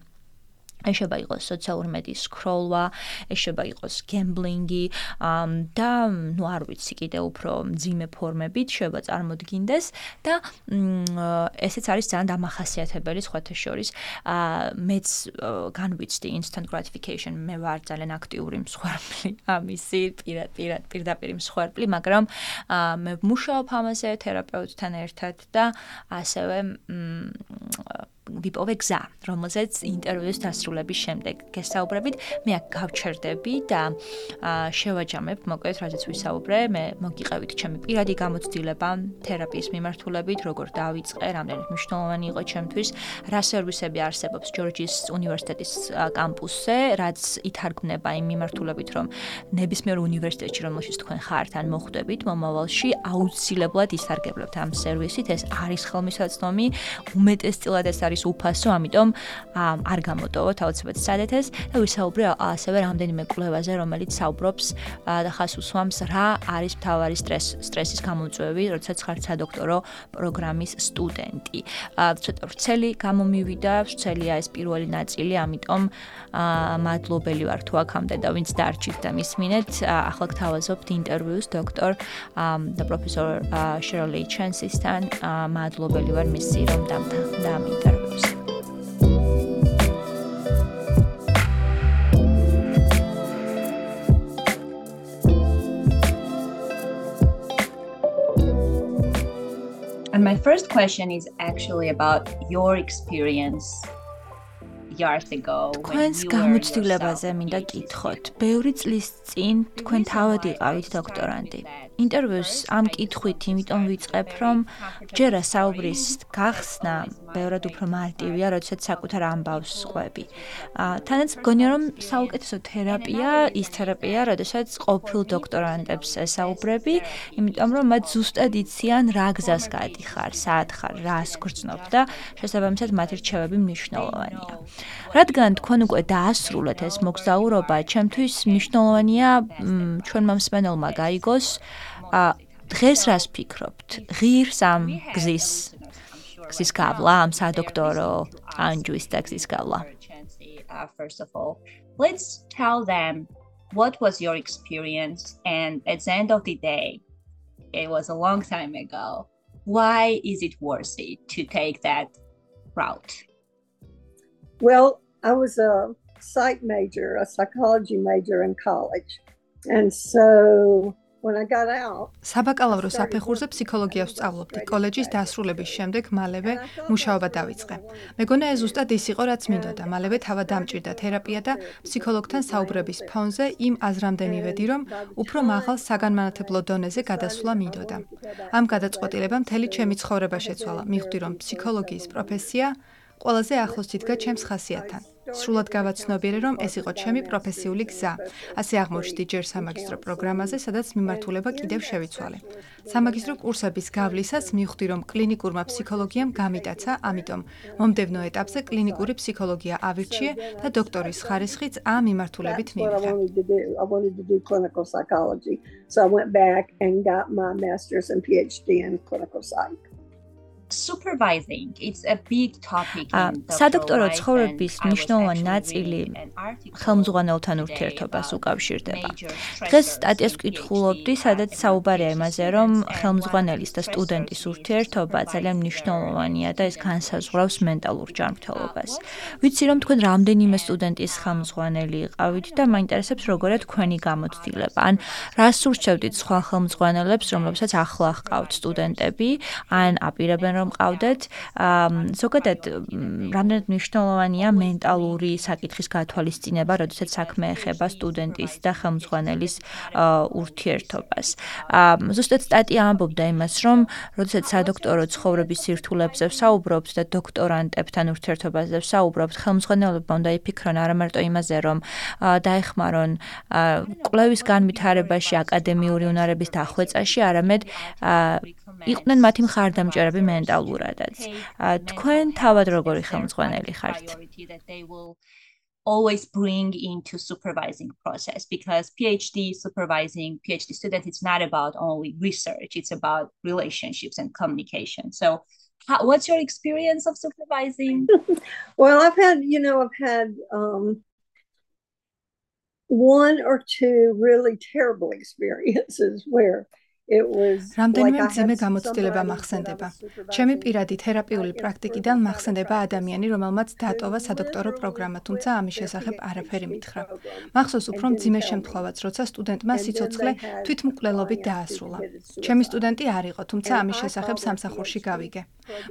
ეს შეიძლება იყოს სოციალური მედიის სკროლვა, ეს შეიძლება იყოს gambling-ი და ნუ არ ვიცი კიდე უფრო მძიმე ფორმებით შეიძლება წარმოდგინდეს და ესეც არის ძალიან დამახასიათებელი სხვათა შორის. მეც განვიცდი instant gratification, მე ვარ ძალიან აქტიური მსხვერპლი ამისი, პირდაპირ მსხვერპლი, მაგრამ მე ვმუშაობ ამაზე თერაპევტთან ერთად და ასევე ვიპოვე გზა, რომელზეც ინტერვიუს დასრულების შემდეგ გესაუბრებით, მე აქ გავჩერდები და შევაჯამებ, მოკლედ, რაზეც ვისაუბრე, მე მოგიყევით ჩემი პირადი გამოცდილება თერაპიის მიმართულებით, როგორ დავიწყე, რამდენად მნიშვნელოვანი იყო ჩემთვის, რა სერვისები არსებობს ჯორჯის უნივერსიტეტის კამპუსზე, რაც ითარგმნება იმ მიმართულებით, რომ ნებისმიერ უნივერსიტეტში, რომელშიც თქვენ ხართ ან მოხვდებით, მომავალში აუცილებლად ისარგებლებთ ამ სერვისით, ეს არის ხელმისაწვდომი, უმეტესწილად ეს არის უფასო, ამიტომ არ გამოტოვოთ აუცილებლად სცადეთ ეს და ვისაუბრე ასევე რამდენიმე კვლევაზე, რომელიც საუბრობს და ხას უსვამს რა არის მთავარი სტრესის გამომწვევი, როდესაც ხართ სადოქტორო პროგრამის სტუდენტი. ცოტა ვრცელი გამომივიდა, ვრცელია ეს პირველი ნაწილი, ამიტომ მადლობელი ვარ თუ აქამდე და ვინც დარჩით და მისმინეთ, ახლა გთავაზობთ ინტერვიუს დოქტორ და პროფესორ Shirley Chance's-თან, მადლობელი ვარ მისი რომ დამთავრდა ამ ინტერვიუს. And my first question is actually about your experience years ago თქვენს გამოცდილებაზე მინდა კითხოთ. ბევრი წლის წინ თქვენ თავად იყავით დოქტორანტი. ინტერვიუს ამ კითხვით იმიტომ ვიწყებ, რომ ჯერა საუბრის გახსნა ბევრად უფრო მარტივია, როდესაც საკუთარ ამბავს ყვები. თანაც მგონია, რომ საუკეთესო თერაპია ის თერაპია, როდესაც ყოფილ დოქტორანტებს ესაუბრები, იმიტომ რომ მათ ზუსტად იციან რა გზას გადიხარ, სად ხარ, რას გრძნობ და შესაბამისად მათი რჩევები მნიშვნელოვანია. რადგან თქვენ უკვე დაასრულეთ ეს მოგზაურობა, ჩემთვის მნიშვნელოვანია ჩვენმა მსმენელმა გაიგოს, დღეს რას ფიქრობთ? ღირს ამ გზის გავლა, ამ სადოქტორო ანჯუის და გზის გავლა. First of all, let's tell them what was your experience, and at the end of the day, it was a long time ago. Why is it worth it to take that route? Well, I was a psych major, a psychology major in college. And so when I got out, საბაკალავრო საფეხურზე ფსიქოლოგიას ვსწავლობდი. კოლეჯის დასრულების შემდეგ მალევე მუშაობა დავიწყე. მეგონა ეს ზუსტად ის იყო, რაც მინდოდა. მალევე თავად დამჭირდა თერაპია და ფსიქოლოგთან საუბრების ფონზე იმ აზრამდე მივედი, რომ უფრო მაღალ საგანმანათლებლო დონეზე გადასვლა მინდოდა. ამ გადაწყვეტილებამ მთელი ჩემი ცხოვრება შეცვალა. მივხვდი, რომ ფსიქოლოგიის პროფესია ყველაზე ახლოს იდგა ჩემს ხასიათთან. სრულად გავაცნობიერე, რომ ეს იყო ჩემი პროფესიული გზა. ასე აღმოჩნდი ჯერ სამაგისტრო პროგრამაზე, სადაც მიმართულება კიდევ შევიცვალე. სამაგისტრო კურსების გავლისას მივხვდი, რომ კლინიკურმა ფსიქოლოგიამ გამიტაცა, ამიტომ მომდევნო ეტაპზე კლინიკური ფსიქოლოგია ავირჩიე და დოქტორის ხარისხიც ამ მიმართულებით მივიღე. I wanted to do clinical psychology. So I went back and got my master's and PhD in clinical psych. Supervising, it's a big topic in სადოქტორო ცხოვრების მნიშვნელოვანი ნაწილი ხელმძღვანელთან ურთიერთობას უკავშირდება. დღეს სტატიას ვკითხულობდი, სადაც საუბარია იმაზე, რომ ხელმძღვანელის და სტუდენტის ურთიერთობა ძალიან მნიშვნელოვანია და ეს განსაზღვრავს მენტალურ ჯანმრთელობას. ვიცი, რომ თქვენ რამდენიმე სტუდენტის ხელმძღვანელი იყავით და მაინტერესებს, როგორია თქვენი გამოცდილება. ან რას ურჩევდით სხვა ხელმძღვანელებს, რომლებსაც ახლა ჰყავთ სტუდენტები, ან აპირებენ რომ ყავდეთ, ზოგადად რამდენად მნიშვნელოვანია მენტალური საკითხის გათვალისწინება, როდესაც საქმე ეხება სტუდენტის და ხელმძღვანელის ურთიერთობას. ზუსტად სტატია ამბობდა იმას, რომ როდესაც სადოქტორო ცხოვრების სირთულეებზე ვსაუბრობთ და დოქტორანტებთან ურთიერთობაზე ვსაუბრობთ, ხელმძღვანელებმა უნდა იფიქრონ არა მარტო იმაზე, რომ დაეხმარონ კვლევის განვითარებაში, აკადემიური უნარების დახვეწაში, არამედ იყვნენ მათი მხარდამჭერები მენტალურადაც. თქვენ თავად როგორი ხელმძღვანელი ხართ? Always bring into supervising process, because PhD student, it's not about only research, it's about relationships and communication. So what's your experience of supervising? Well, I've had one or two really terrible experiences where რამდენიმე მძიმე გამოცდილება მახსენდება. ჩემი პირადი თერაპიული პრაქტიკიდან მახსენდება ადამიანი, რომელმაც დატოვა სადოქტორო პროგრამა, თუმცა ამის შესახებ არაფერი მითხრა. მახსოვს უფრო მძიმე შემთხვევაც, როცა სტუდენტმა სიცოცხლე თვითმკვლელობით დაასრულა. ჩემი სტუდენტი არ იყო, თუმცა ამის შესახებ სამსახურში გავიგე.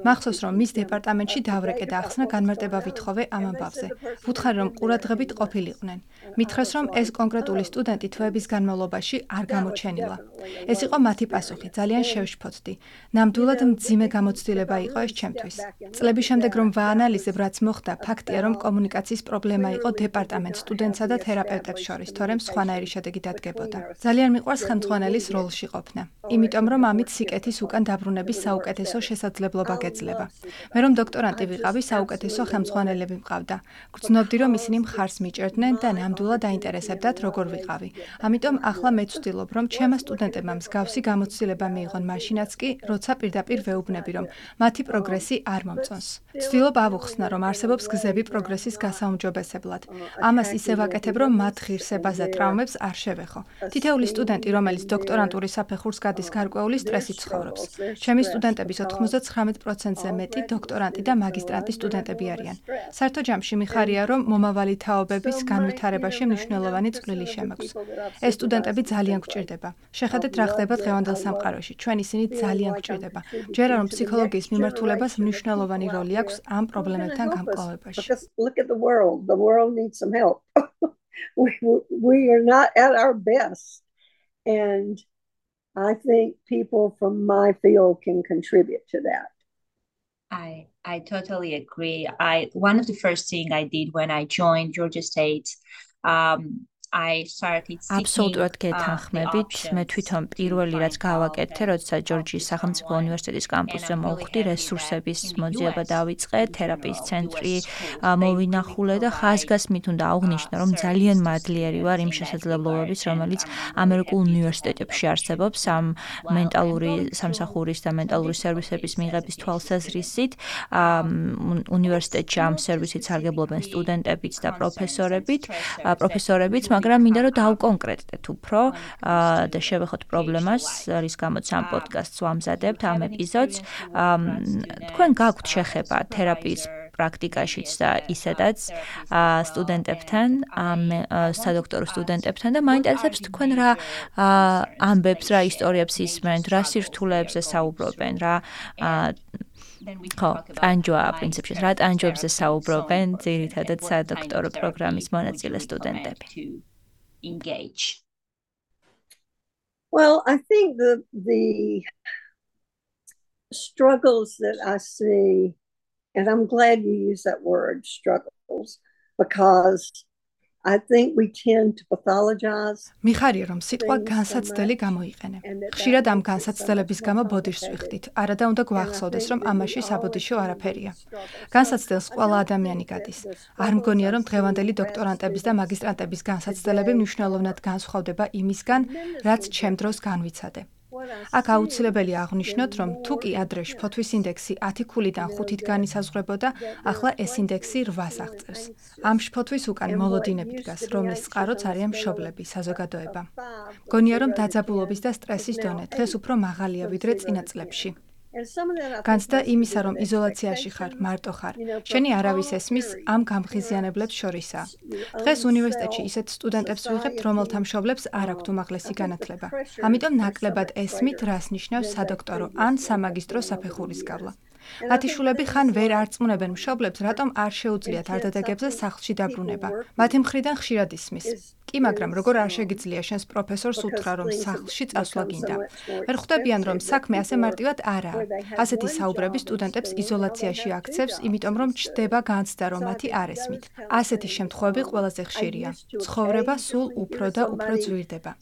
მახსოვს, რომ მის დეპარტამენტში დავრეკე და ახსნა განმარტება ვითხოვე ამ ამბავზე. ვუთხარი, რომ ყურადღებით ყოფილიყვნენ. მითხრეს, რომ ეს კონკრეტული სტუდენტი თვეების განმავლობაში არ გამოჩენილა. ეს იყო მათი პასუხი, ძალიან შევშფოთდი. ნამდვილად მძიმე გამოცდილება იყო ეს ჩემთვის. წლების შემდეგ რომ ვაანალიზებ, რაც მოხდა, ფაქტია, რომ კომუნიკაციის პრობლემა იყო დეპარტამენტ სტუდენტსა და თერაპევტებს შორის, თორემ სხვანაირი შედეგი დადგებოდა. ძალიან მიყვარს ხელმძღვანელის როლში ყოფნა, იმიტომ რომ ამით სიკეთის უკან დაბრუნების საუკეთესო შესაძლებლობა გეძლება. მე რომ დოქტორანტი ვიყავი, საუკეთესო ხელმძღვანელები მყავდა. გრძნობდი, რომ ისინი მხარს მიჭერდნენ და ნამდვილად დაინტერესებდათ, როგორ ვიყავი. ამიტომ ახლა მე ვცდილობ, რომ ჩემმა სტუდენტებმა მსგავსი გამოცდილება მიიღონ მაშინაც კი, როცა პირდაპირ ვეუბნები, რომ მათი პროგრესი არ მომწონს. ვცდილობ ავუხსნა, რომ არსებობს გზები პროგრესის გასაუმჯობესებლად. ამას ისე ვაკეთებ, რომ მათ ღირსებას და ტრავმებს არ შევეხო. თითოეული სტუდენტი, რომელიც დოქტორანტურის საფეხურს გადის, გარკვეული სტრესით ცხოვრობს. ჩემი სტუდენტების 99%-ზე მეტი დოქტორანტი და მაგისტრანტი სტუდენტები არიან. საერთო ჯამში მიხარია, რომ მომავალი თაობების განვითარებაში მნიშვნელოვანი წვლილი შემაქვს. ეს სტუდენტები ძალიან გვჭირდება. შეხედეთ რა ხდება დღევანდელ სამყაროში. ჩვენ ისინი ძალიან გვჭირდება. ჯერა რომ ფსიქოლოგიის მიმართულებას მნიშვნელოვანი როლი აქვს ამ პრობლემებთან გამკლავებაში. Look at the world. The world needs some help. We are not at our best. And I think people from my field can contribute to that. I totally agree. One of the first things I did when I joined Georgia State, I started seeking აბსოლუტურად გეთანხმებით. მე თვითონ პირველი რაც გავაკეთე, როდესაც ჯორჯიის სახელმწიფო უნივერსიტეტის კამპუსზე მოვხვდი, რესურსების მოძიება დავიწყე, თერაპიის ცენტრი მოვინახულე და ხაზგასმით უნდა აღვნიშნო, რომ ძალიან მადლიერი ვარ იმ შესაძლებლობების, რომელიც ამერიკულ უნივერსიტეტებში არსებობს ამ მენტალური სამსახურის და მენტალური სერვისების მიღების თვალსაზრისით. უნივერსიტეტში ამ სერვისით სარგებლობენ სტუდენტებიც და პროფესორებიც, მაგრამ მინდა რომ დავკონკრეტდეთ უფრო და შევეხოთ პრობლემას, რის გამოც ამ პოდკასტს ვამზადებთ, ამ ეპიზოდს. თქვენ გაქვთ შეხება თერაპიის პრაქტიკაშიც და ისედაც სტუდენტებთან, სადოქტორო სტუდენტებთან და მაინტერესებს თქვენ რა ამბებს, რა ისტორიებს ისმენთ, რა სირთულეებზე საუბრობენ, რა ტანჯვა პრინციპში, რა ტანჯვებზე საუბრობენ ძირითადად სადოქტორო პროგრამის მონაწილე სტუდენტები. Well, I think the struggles that I see, and I'm glad you use that word, struggles, because I think we tend to pathologize. მიხარია რომ სიტყვა განსაცდელი გამოიყენე. ხშირად ამ განსაცდელების გამო ბოდიშს ვიხდით. არადა უნდა გვახსოვდეს რომ ამაში საბოდიშო არაფერია. განსაცდელს ყველა ადამიანი გადის. არ მგონია რომ დღევანდელი დოქტორანტების და მაგისტრანტების განსაცდელები მნიშვნელოვნად განსხვავდება იმისგან, რაც ჩემ დროს განვიცადე. აქ აუცილებელია აღვნიშნოთ, რომ თუ კი ადრე შფოთვის ინდექსი 10 ქულიდან 5-ით განისაზღვრებოდა, ახლა ეს ინდექსი 8-ს აღწევს. ამ შფოთვის უკან მოლოდინები დგას, რომლის წყაროც არიან მშობლები, საზოგადოება. მგონია, რომ დაძაბულობის და სტრესის დონე დღეს უფრო მაღალია ვიდრე წინა წლებში. განცდა იმისა, რომ იზოლაციაში ხარ, მარტო ხარ, შენი არავის ესმის ამ გამღიზიანებლებს შორისაა. დღეს უნივერსიტეტში ისეთ სტუდენტებს ვიღებთ, რომელთა მშობლებს არ აქვთ უმაღლესი განათლება. ამიტომ ნაკლებად ესმით, რას ნიშნავს სადოქტორო ან სამაგისტრო საფეხურის გავლა. მათი შულები ხან ვერ არწმუნებენ მშობლებს, რატომ არ შეუძლიათ არდადეგებზე სახლში დაბრუნება. მათი მხრიდან ხშირად ისმის. კი, მაგრამ როგორ არ შეგიძლია შენს პროფესორს უთხრა, რომ სახლში წასვლა გინდა. ვერ ხვდებიან, რომ საქმე ასე მარტივად არაა. ასეთი საუბრები სტუდენტებს იზოლაციაში აქცევს, იმიტომ რომ ჩდება განცდა, რომ მათი არ ესმით. ასეთი შემთხვევები ყველაზე ხშირია. ცხოვრება სულ უფრო და უფრო ძვირდება.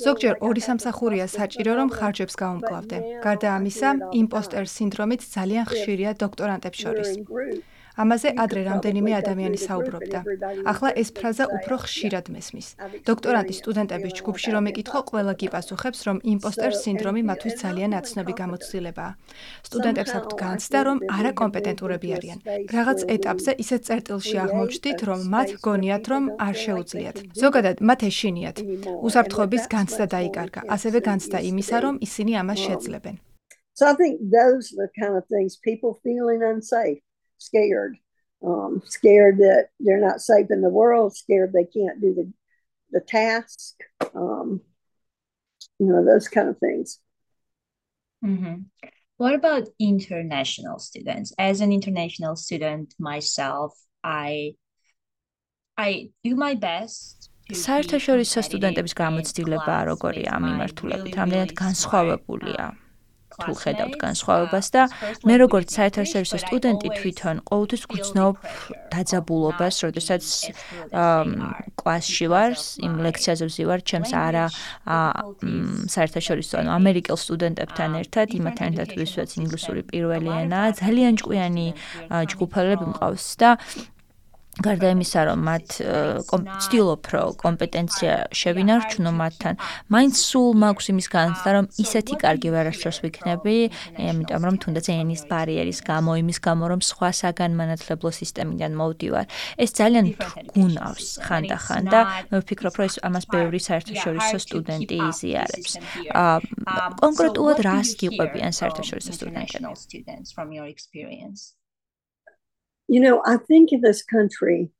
ზოგჯერ ორი სამსახურია საჭირო, რომ ხარჯებს გაუმკლავდე. გარდა ამისა, იმპოსტერ სინდრომით ძალიან ხშირია დოქტორანტებს შორის. ამაზე ადრე რამდენიმე ადამიანი საუბრობდა. ახლა ეს ფრაზა უფრო ხშირად მესმის. დოქტორანტის სტუდენტების ჯგუფში რომ ეკითხო, ყველა გიპასუხებს, რომ იმპოსტერ სინდრომი მათთვის ძალიან ნაცნობი გამოცდილებაა. სტუდენტებს აქვთ განცდა, რომ არაკომპეტენტურები არიან. რაღაც ეტაპზე ისეთ წერტილში აღმოჩნდით, რომ მათ გონიათ, რომ არ შეუძლიათ. ზოგადად მათ ეშინიათ. უსაფრთხოების განცდა დაიკარგა, ასევე განცდა იმისა, რომ ისინი ამას შეძლებენ. So I think those are the kind of things, people feeling unsafe, scared, scared that they're not safe in the world, scared they can't do the task, those kind of things. Mm-hmm. What about international students? As an international student myself, I do my best. საერთაშორისო სტუდენტების გამოცდილება როგორია ამ მიმართულებით? რამდენად განსხვავებულია? თუ ხედავთ განსხვავებას და მე როგორც საერთაშორისო სტუდენტი თვითონ ყოველთვის გრძნობ დაძაბულობას, როდესაც კლასში ვარ, იმ ლექციაზე ვზივარ, ჩემს არა საერთაშორისო, ამერიკელ სტუდენტებთან ერთად, იმათთან ერთად ვისვაც ინგლისური პირველი ენაა, ძალიან ჭკვიანი ჯგუფელები მყავს და გარდა იმისა, რომ მათ ვცდილობ, რომ კომპეტენცია შევინარჩუნო მათთან, მაინც სულ მაქვს იმის განცდა, რომ ისეთი კარგი ვერასდროს ვიქნები, იმიტომ რომ თუნდაც ენის ბარიერის გამო, იმის გამო, რომ სხვა საგანმანათლებლო სისტემიდან მოვდივარ, ეს ძალიან გუნავს ხანდახან და მე ვფიქრობ, რომ ეს ამას ბევრი საერთაშორისო სტუდენტი იზიარებს. კონკრეტულად რას გიყვებიან საერთაშორისო სტუდენტები? I think in this country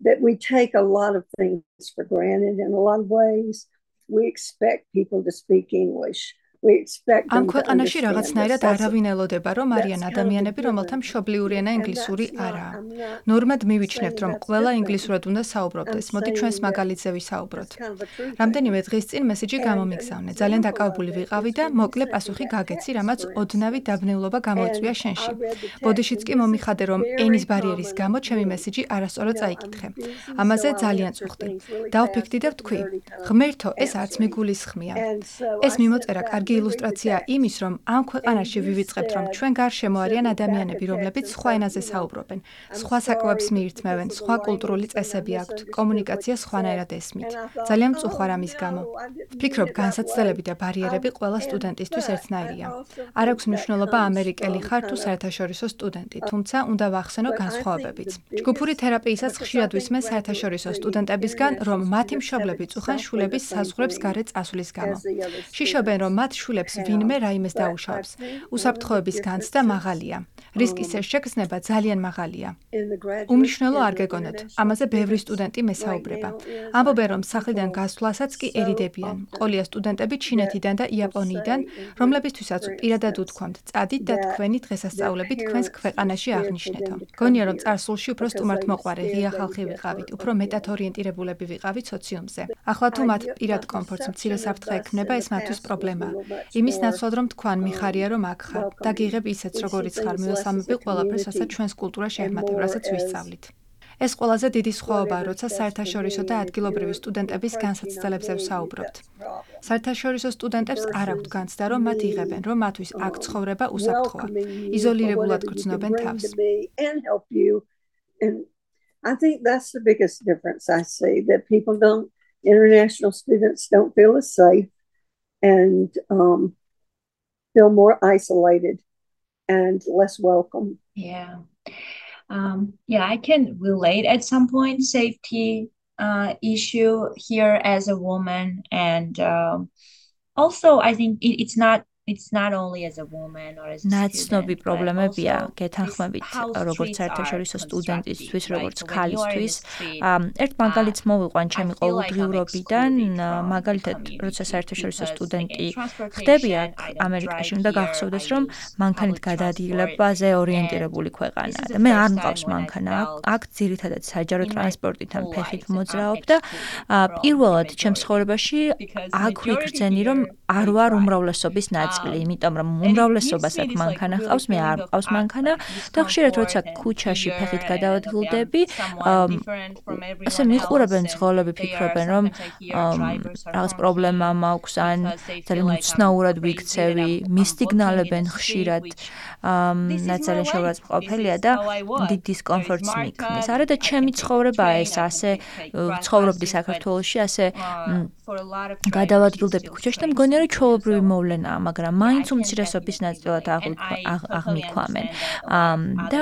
that we take a lot of things for granted in a lot of ways. We expect people to speak English. ამ ქვეყანაში რაღაცნაირად არავინ ელოდება, რომ არიან ადამიანები, რომელთა მშობლიური ენა ინგლისური არაა. ნორმად მივიჩნევთ, რომ ყველა ინგლისურად უნდა საუბრობდეს. მოდი ჩვენს მაგალითზე ვისაუბროთ. რამდენიმე დღის წინ მესიჯი გამომიგზავნე. ძალიან დაკავებული ვიყავი და მოკლე პასუხი გაგეცი, რამაც ოდნავი დაბნეულობა გამოიწვია შენში. ბოდიშიც კი მომიხადე, რომ ენის ბარიერის გამო ჩემი მესიჯი არასწორად წაიკითხე. ამაზე ძალიან წუხდი. დავფიქრდი და ვთქვი, ღმერთო, ეს არც მიგულისხმია. ეს მიმოწერა კარგი ილუსტრაცია იმის, რომ ამ ქვეყანაში ვივიწყებთ, რომ ჩვენ გარშემო არიან ადამიანები, რომლებიც სხვა ენაზე საუბრობენ, სხვა საკვებს მიირთმევენ, სხვა კულტურული წესები აქვთ, კომუნიკაცია სხვანაირად ესმით. ძალიან მწუხვარ ამის გამო. ვფიქრობ, განსაცდელები და ბარიერები ყველა სტუდენტისთვის ერთნაირია. არ აქვს მნიშვნელობა ამერიკელი ხარ თუ საერთაშორისო სტუდენტი, თუმცა უნდა ვახსენო განსხვავებებიც. ჯგუფური თერაპიისას ხშირად ვისმენ საერთაშორისო სტუდენტებისგან, რომ მათი მშობლები წუხან შვილების საზღვრებს გარეთ წასვლის გამო. შიშობენ, რომ მათ შვილებს ვინმე რაიმეს დაუშავებს. უსაფრთხოების განცდა მაღალია. რისკის ეს შეგრძნება ძალიან მაღალია. უმნიშვნელო არ გეგონოთ, ამაზე ბევრი სტუდენტი მესაუბრება. ამბობენ, რომ სახლიდან გასვლასაც კი ერიდებიან. ყოლია სტუდენტები ჩინეთიდან და იაპონიიდან, რომლებისთვისაც პირადად უთქვამთ, წადით და თქვენი დღესასწაულები თქვენს ქვეყანაში აღნიშნეთო. გონია, რომ წარსულში უფრო სტუმართმოყვარე ღია ხალხი ვიყავით, უფრო მეტად ორიენტირებულები ვიყავით სოციუმზე. ახლა თუ მათ პირად კომფორტს მცირე საფრთხე ექმნება, ეს მათთვის პრობლემაა. იმის ნაცვლად, რომ თქვან მიხარია, რომ აქ ხარ და გიღებ ისეთს, როგორიც ხარ, მივესალმები ყველაფერს, რასაც ჩვენს კულტურა შეჰმატებ, რასაც ვისწავლით. ეს ყველაზე დიდი სხვაობაა, როცა საერთაშორისო და ადგილობრივი სტუდენტების განსაცდელებზე ვსაუბრობთ. საერთაშორისო სტუდენტებს არ აქვთ განცდა, რომ მათ იღებენ, რომ მათთვის აქ ცხოვრება უსაფრთხოა. იზოლირებულად გრძნობენ თავს. I think that's the biggest difference I see, that international students don't feel as safe and feel more isolated and less welcome. Yeah. I can relate at some point safety issue here as a woman, and also I think it's not only as a woman or as a ნაცნობი პრობლემებია გეთანხმებით როგორც საერთაშორისო სტუდენტისთვის, როგორც ქალისთვის. ერთ მაგალითს მოვიყვან ჩემი ყოველდღიურობიდან, მაგალითად, როცა საერთაშორისო სტუდენტი ხდები აქ ამერიკაში, უნდა გახსოვდეს, რომ მანქანით გადაადგილებაზე ორიენტირებული ქვეყანაა და მე არ მყავს მანქანა. აქ ძირითადად საჯარო ტრანსპორტით ან ფეხით მოძრაობ და პირველად ჩემს ცხოვრებაში აქ ვიგრძენი, რომ არ ვარ უმრავლესობის ნაწილი. იმიტომ რომ უმრავლესობას აქ მანქანა ჰყავს, მე არ მყავს მანქანა და ხშირად როცა ქუჩაში ფეხით გადავადგილდები, ასე მიყურებენ ძღოლები, ფიქრობენ, რომ რაღაც პრობლემა მაქვს ან ძალიან უცნაურად ვიქცევი, მისტიგნალებენ ხშირად, ძალიან შეურაცხმყოფელია და დიდ დისკომფორტს მიქმნის. არა და ჩემი ცხოვრებაა ეს, ასე ცხოვრობდი საქართველოში, ასე გადავადგილდები ქუჩაში და მგონია, რომ ჩვეულებრივი მოვლენაა, მაგრამ მაინც უმცირესობის ნაწილად აღმიქვამენ. და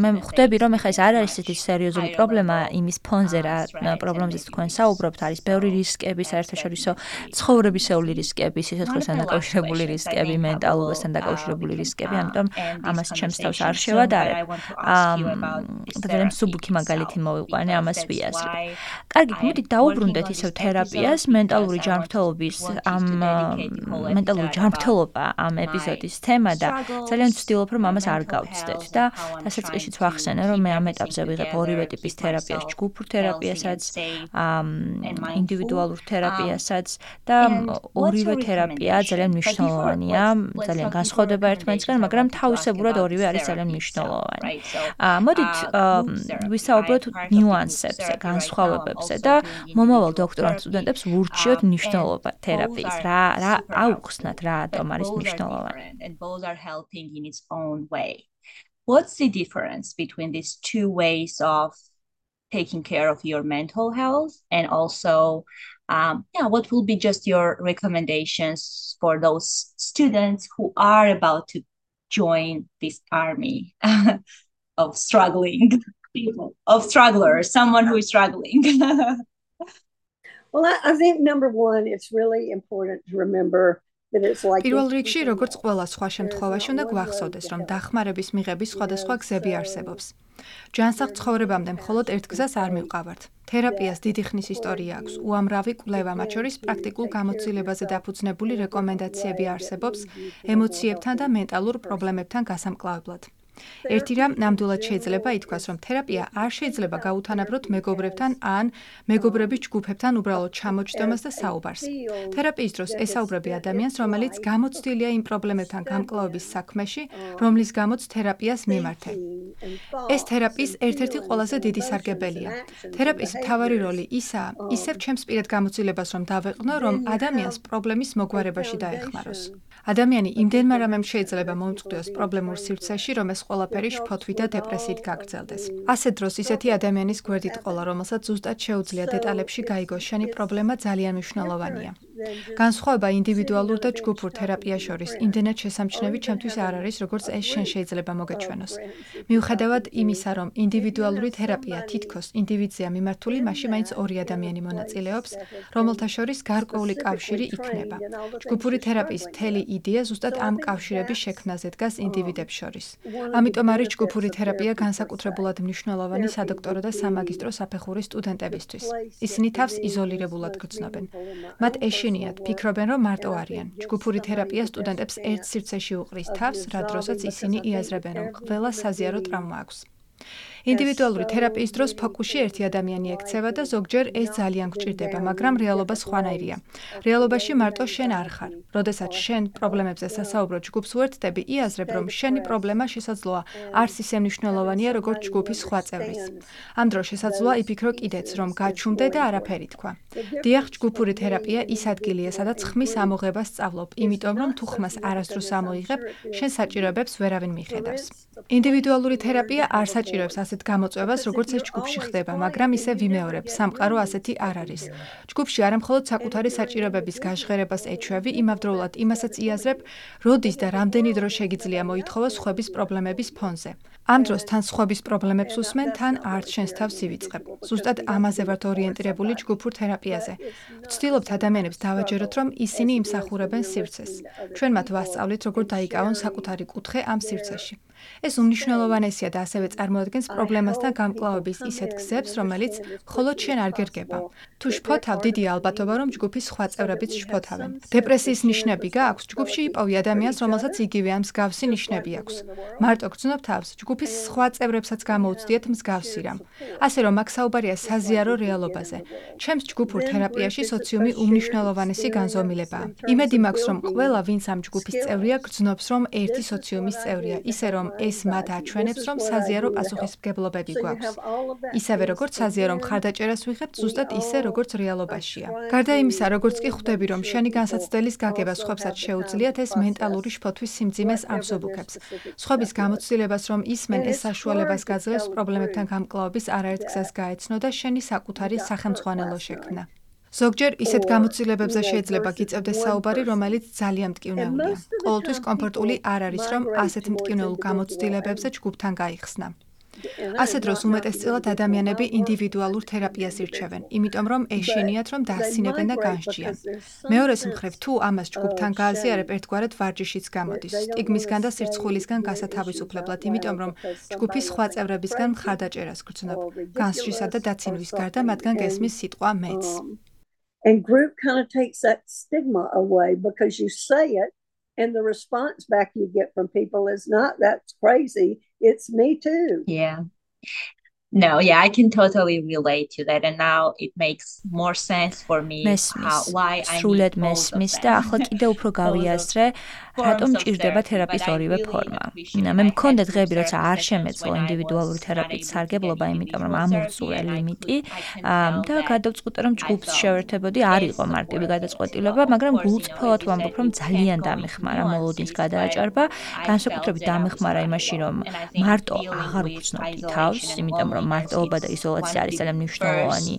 მე ხვდები, რომ ეხლა ეს არ არის ისეთი სერიოზული პრობლემა იმის ფონზე, რა პრობლემზეც თქვენ საუბრობთ, არის ბევრი რისკები, საერთაშორისო ცხოვრებისეული რისკები, სიცოცხლესთან დაკავშირებული რისკები, მენტალურობასთან დაკავშირებული რისკები, ამიტომ ამას ჩემს თავს არ შევადარებ. და ძალიან მსუბუქი მაგალითი მოვიყვანე, ამას ვიაზრებ. კარგი, მოდი დაუბრუნდეთ ისევ თერაპიას, მენტალური ჯანმრთელობა ამ ეპიზოდის თემა და ძალიან ვცდილობ, რომ ამას არ გავცდეთ და დასაწყისშიც ვახსენე, რომ მე ამ ეტაპზე ვიღებ ორივე ტიპის თერაპიას, ჯგუფურ თერაპიასაც, ინდივიდუალურ თერაპიასაც და ორივე თერაპია ძალიან მნიშვნელოვანია, ძალიან განსხვავდება ერთმანეთისგან, მაგრამ თავისებურად ორივე არის ძალიან მნიშვნელოვანი. მოდით ვისაუბროთ ნიუანსებზე, განსხვავებებზე და მომავალ დოქტორანტ სტუდენტებს ვურჩიოთ მნიშვნელობა თერაპიის. რა აუხსნათ, რა ატომ არის მნიშვნელოვანი. And both are helping in its own way. What's the difference between these two ways of taking care of your mental health, and also what will be just your recommendations for those students who are about to join this army of struggling people, of strugglers, someone who is struggling? Well, I think number one, it's really important to remember პირველ რიგში, როგორც ყველა სხვა შემთხვევაში, უნდა გვახსოვდეს, რომ დახმარების მიღების სხვადასხვა გზები არსებობს. ჯანსაღ ცხოვრებამდე მხოლოდ ერთ გზას არ მივყავართ. თერაპიას დიდი ხნის ისტორია აქვს, უამრავი კვლევა, მათ შორის პრაქტიკულ გამოცდილებაზე დაფუძნებული რეკომენდაციები არსებობს ემოციებთან და მენტალურ პრობლემებთან გასამკლავებლად. ერთი რამ ნამდვილად შეიძლება ითქვას, რომ თერაპია არ შეიძლება გაუთანაბროთ მეგობრებთან ან მეგობრების ჯგუფებთან უბრალოდ ჩამოჯდომას და საუბარს. თერაპიის დროს ესაუბრები ადამიანს, რომელიც გამოცდილია იმ პრობლემებთან გამკლავების საქმეში, რომლის გამოც თერაპიას მიმართე. ეს თერაპიის ერთ-ერთი ყველაზე დიდი სარგებელია. თერაპიის მთავარი როლი ისაა, ისევ ჩემს პირად გამოცდილებას რომ დავეყნო, რომ ადამიანს პრობლემის მოგვარებაში დაეხმაროს. ადამიანი იმდენმა რამემ შეიძლება მომწყვდიოს პრობლემურ სივრცეში, რომ ეს ყველაფერი შფოთვით და დეპრესიით გაგრძელდეს. ასეთ დროს ისეთი ადამიანის გვერდით ყოლა, რომელსაც ზუსტად შეუძლია დეტალებში გაიგოს, შენი პრობლემა ძალიან მნიშვნელოვანია. განსხვავება ინდივიდუალურ და ჯგუფურ თერაპიას შორის იმდენად შესამჩნევი ჩემთვის არ არის, როგორც ეს შენ შეიძლება მოგეჩვენოს. მიუხედავად იმისა, რომ ინდივიდუალური თერაპია თითქოს ინდივიდზეა მიმართული, მაშინ მაინც ორი ადამიანი მონაწილეობს, რომელთა შორის გარკვეული კავშირი იქნება. ჯგუფური თერაპიის მთელი იდეა ზუსტად ამ კავშირების შექმნაზე დგას ინდივიდებს შორის. ამიტომ არის ჯგუფური თერაპია განსაკუთრებულად მნიშვნელოვანი სადოქტორო და სამაგისტრო საფეხურის სტუდენტებისთვის. ისინი თავს იზოლირებულად გრძნობენ. მათ ეშინიათ, ფიქრობენ, რომ მარტო არიან. ჯგუფური თერაპია სტუდენტებს ერთ სივრცეში უყრის თავს, რა დროსაც ისინი იაზრებენ, რომ ყველა საზიარო ტრავმა აქვს. ინდივიდუალური თერაპიის დროს ფოკუსში ერთი ადამიანი ექცევა და ზოგჯერ ეს ძალიან გჭირდება, მაგრამ რეალობა სხვანაირია. რეალობაში მარტო შენ არ ხარ. როდესაც შენ პრობლემებზე სასაუბრო ჯგუფს უერთდები, იაზრებ, რომ შენი პრობლემა შესაძლოა არც ისე მნიშვნელოვანია, როგორც ჯგუფის სხვა წევრის. ამ დროს შესაძლოა იფიქრო კიდეც, რომ გაჩუმდე და არაფერი თქვა. დიახ, ჯგუფური თერაპია ის ადგილია, სადაც ხმის ამოღებას სწავლობ, იმიტომ რომ თუ ხმას არასდროს ამოიღებ, შენ საჭიროებებს ვერავინ მიხედავს. ინდივიდუალური თერაპია არ საჭიროებს ასეთ გამოწვევას, როგორც ეს ჯგუფში ხდება, მაგრამ ისე ვიმეორებ, სამყარო ასეთი არ არის. ჯგუფში არამხოლოდ საკუთარი საჭიროებების გაჟღერებას ეჩვევი, იმავდროულად იმასაც იაზრებ, როდის და რამდენი დრო შეგიძლია მოითხოვოს სხვების პრობლემების ფონზე. ამ დროს თან სხვების პრობლემებს უსმენ, თან არც შენს თავს ივიწყებ. ზუსტად ამაზე ვართ ორიენტირებული ჯგუფურ თერაპიაზე. ვცდილობთ ადამიანებს დავაჯეროთ, რომ ისინი იმსახურებენ სივრცეს. ჩვენ მათ ვასწავლით, როგორ დაიკავონ საკუთარი კუთხე ამ სივრცეში. ეს უმნიშვნელოვანესია და ასევე წარმოადგენს პრობლემასთან გამკლავების ისეთ გზებს, რომელიც მხოლოდ შენ არ გერგება. თუ შფოთავ, დიდი ალბათობა, რომ ჯგუფის სხვა წევრებიც შფოთავენ. დეპრესიის ნიშნები გააქვს, ჯგუფში იპოვი ადამიანს, რომელსაც იგივე ამ მსგავსი ნიშნები აქვს. მარტო გრძნობ თავს, ჯგუფის სხვა წევრებსაც გამოუცდიეთ მსგავსი რამ. ასე რომ აქ საუბარია საზიარო რეალობაზე. ჩემს ჯგუფურ თერაპიაში სოციუმი უმნიშვნელოვანესი განზომილებაა. იმედი მაქვს, რომ ყველა, ვინც ამ ჯგუფის წევრია, გრძნობს, რომ ერთი სოციუმის წევრია, ისე რომ ეს მათ აჩვენებს, რომ საზიარო პასუხისმგებლობები გვაქვს. ისევე როგორც საზიარო მხარდაჭერას ვიღებთ, ზუსტად ისე როგორც რეალობაშია. გარდა იმისა, როგორც კი ხვდები, რომ შენი განსაცდელის გაგება სხვებსაც შეუძლიათ, ეს მენტალური შფოთვის სიმძიმეს ამსუბუქებს. სხვების გამოცდილებას, რომ ისმენ ეს საშუალებას გაძლევს პრობლემებთან გამკლავების არაერთ გზას გაეცნო და შენი საკუთარი სახელმძღვანელო შექმნა. ზოგჯერ ისეთ გამოცდილებებზე შეიძლება გიწევდეს საუბარი, რომელიც ძალიან მტკივნეულია. ყოველთვის კომფორტული არ არის, რომ ასეთ მტკივნეულ გამოცდილებებზე ჯგუფთან გაიხსნა. ასეთ დროს უმეტესწილად ადამიანები ინდივიდუალურ თერაპიას ირჩევენ, იმიტომ რომ ეშინიათ, რომ დაასინებენ და განსჯიან. მეორეს მხრივ, თუ ამას ჯგუფთან გააზიარებ, ერთგვარად ვარჯიშიც გამოდის, სტიგმისგან და სირცხვილისგან გასათავისუფლებლად, იმიტომ რომ ჯგუფის სხვა წევრებისგან მხარდაჭერას გრძნობ, განსჯისა და დაცინვის გარდა მათგან გესმის სიტყვა მეც. And group kind of takes that stigma away because you say it and the response back you get from people is not, that's crazy, it's me too. Yeah. No, yeah, I can totally relate to that, and now it makes more sense for me why I სრულად მესმის და ახლა კიდე უფრო გავიაზრე, რატომ ჭირდება თერაპიის ორივე ფორმა. მე მქონდა დღეები, როცა არ შემეძლო ინდივიდუალური თერაპიის სარგებლობა, იმიტომ რომ ამოვწურე ლიმიტი და გადავწყვიტე, რომ ჯგუფს შევერთებოდი, არ იყო მარტივი გადაწყვეტილება, მაგრამ გულწრფელად ვამბობ, რომ ძალიან დამეხმარა მოლოდინს გადააჭარბა, განსაკუთრებით დამეხმარა იმაში, რომ მარტო აღარ უგრძნობდი თავს, იმიტომ რომ მარტოობა და იზოლაცია არის ძალიან მნიშვნელოვანი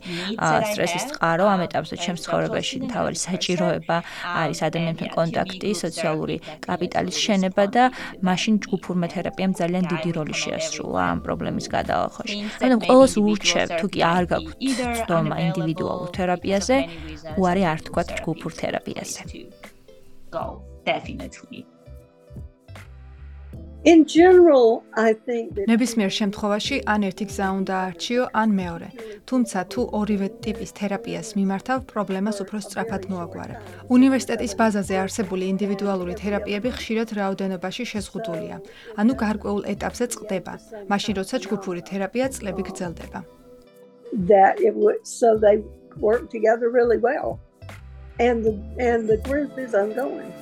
სტრესის წყარო ამ ეტაპზე ჩემს ცხოვრებაში მთავარი საჭიროება არის ადამიანთან კონტაქტი, სოციალური კაპიტალის შენება და მაშინ ჯგუფურმა თერაპიამ ძალიან დიდი როლი შეასრულა ამ პრობლემის გადალახოში. ანუ ყველას ურჩევ, თუ კი არ გაქვთ ცდომა ინდივიდუალურ თერაპიაზე, უარი არ თქვათ ჯგუფურ თერაპიაზე. Definitely. In general, I think that ნებისმიერ შემთხვევაში ან ერთი გზა უნდა არჩიო, ან მეორე. თუმცა თუ ორივე ტიპის თერაპიას მიმართავ, პრობლემას უფრო სწრაფად მოაგვარებ. უნივერსიტეტის ბაზაზე არსებული ინდივიდუალური თერაპიები ხშირად რაოდენობაში შეზღუდულია, ანუ გარკვეულ ეტაპზე წყდება, მაშინ როცა ჯგუფური თერაპია წლები გრძელდება. that so they work together really well, and the group is ongoing.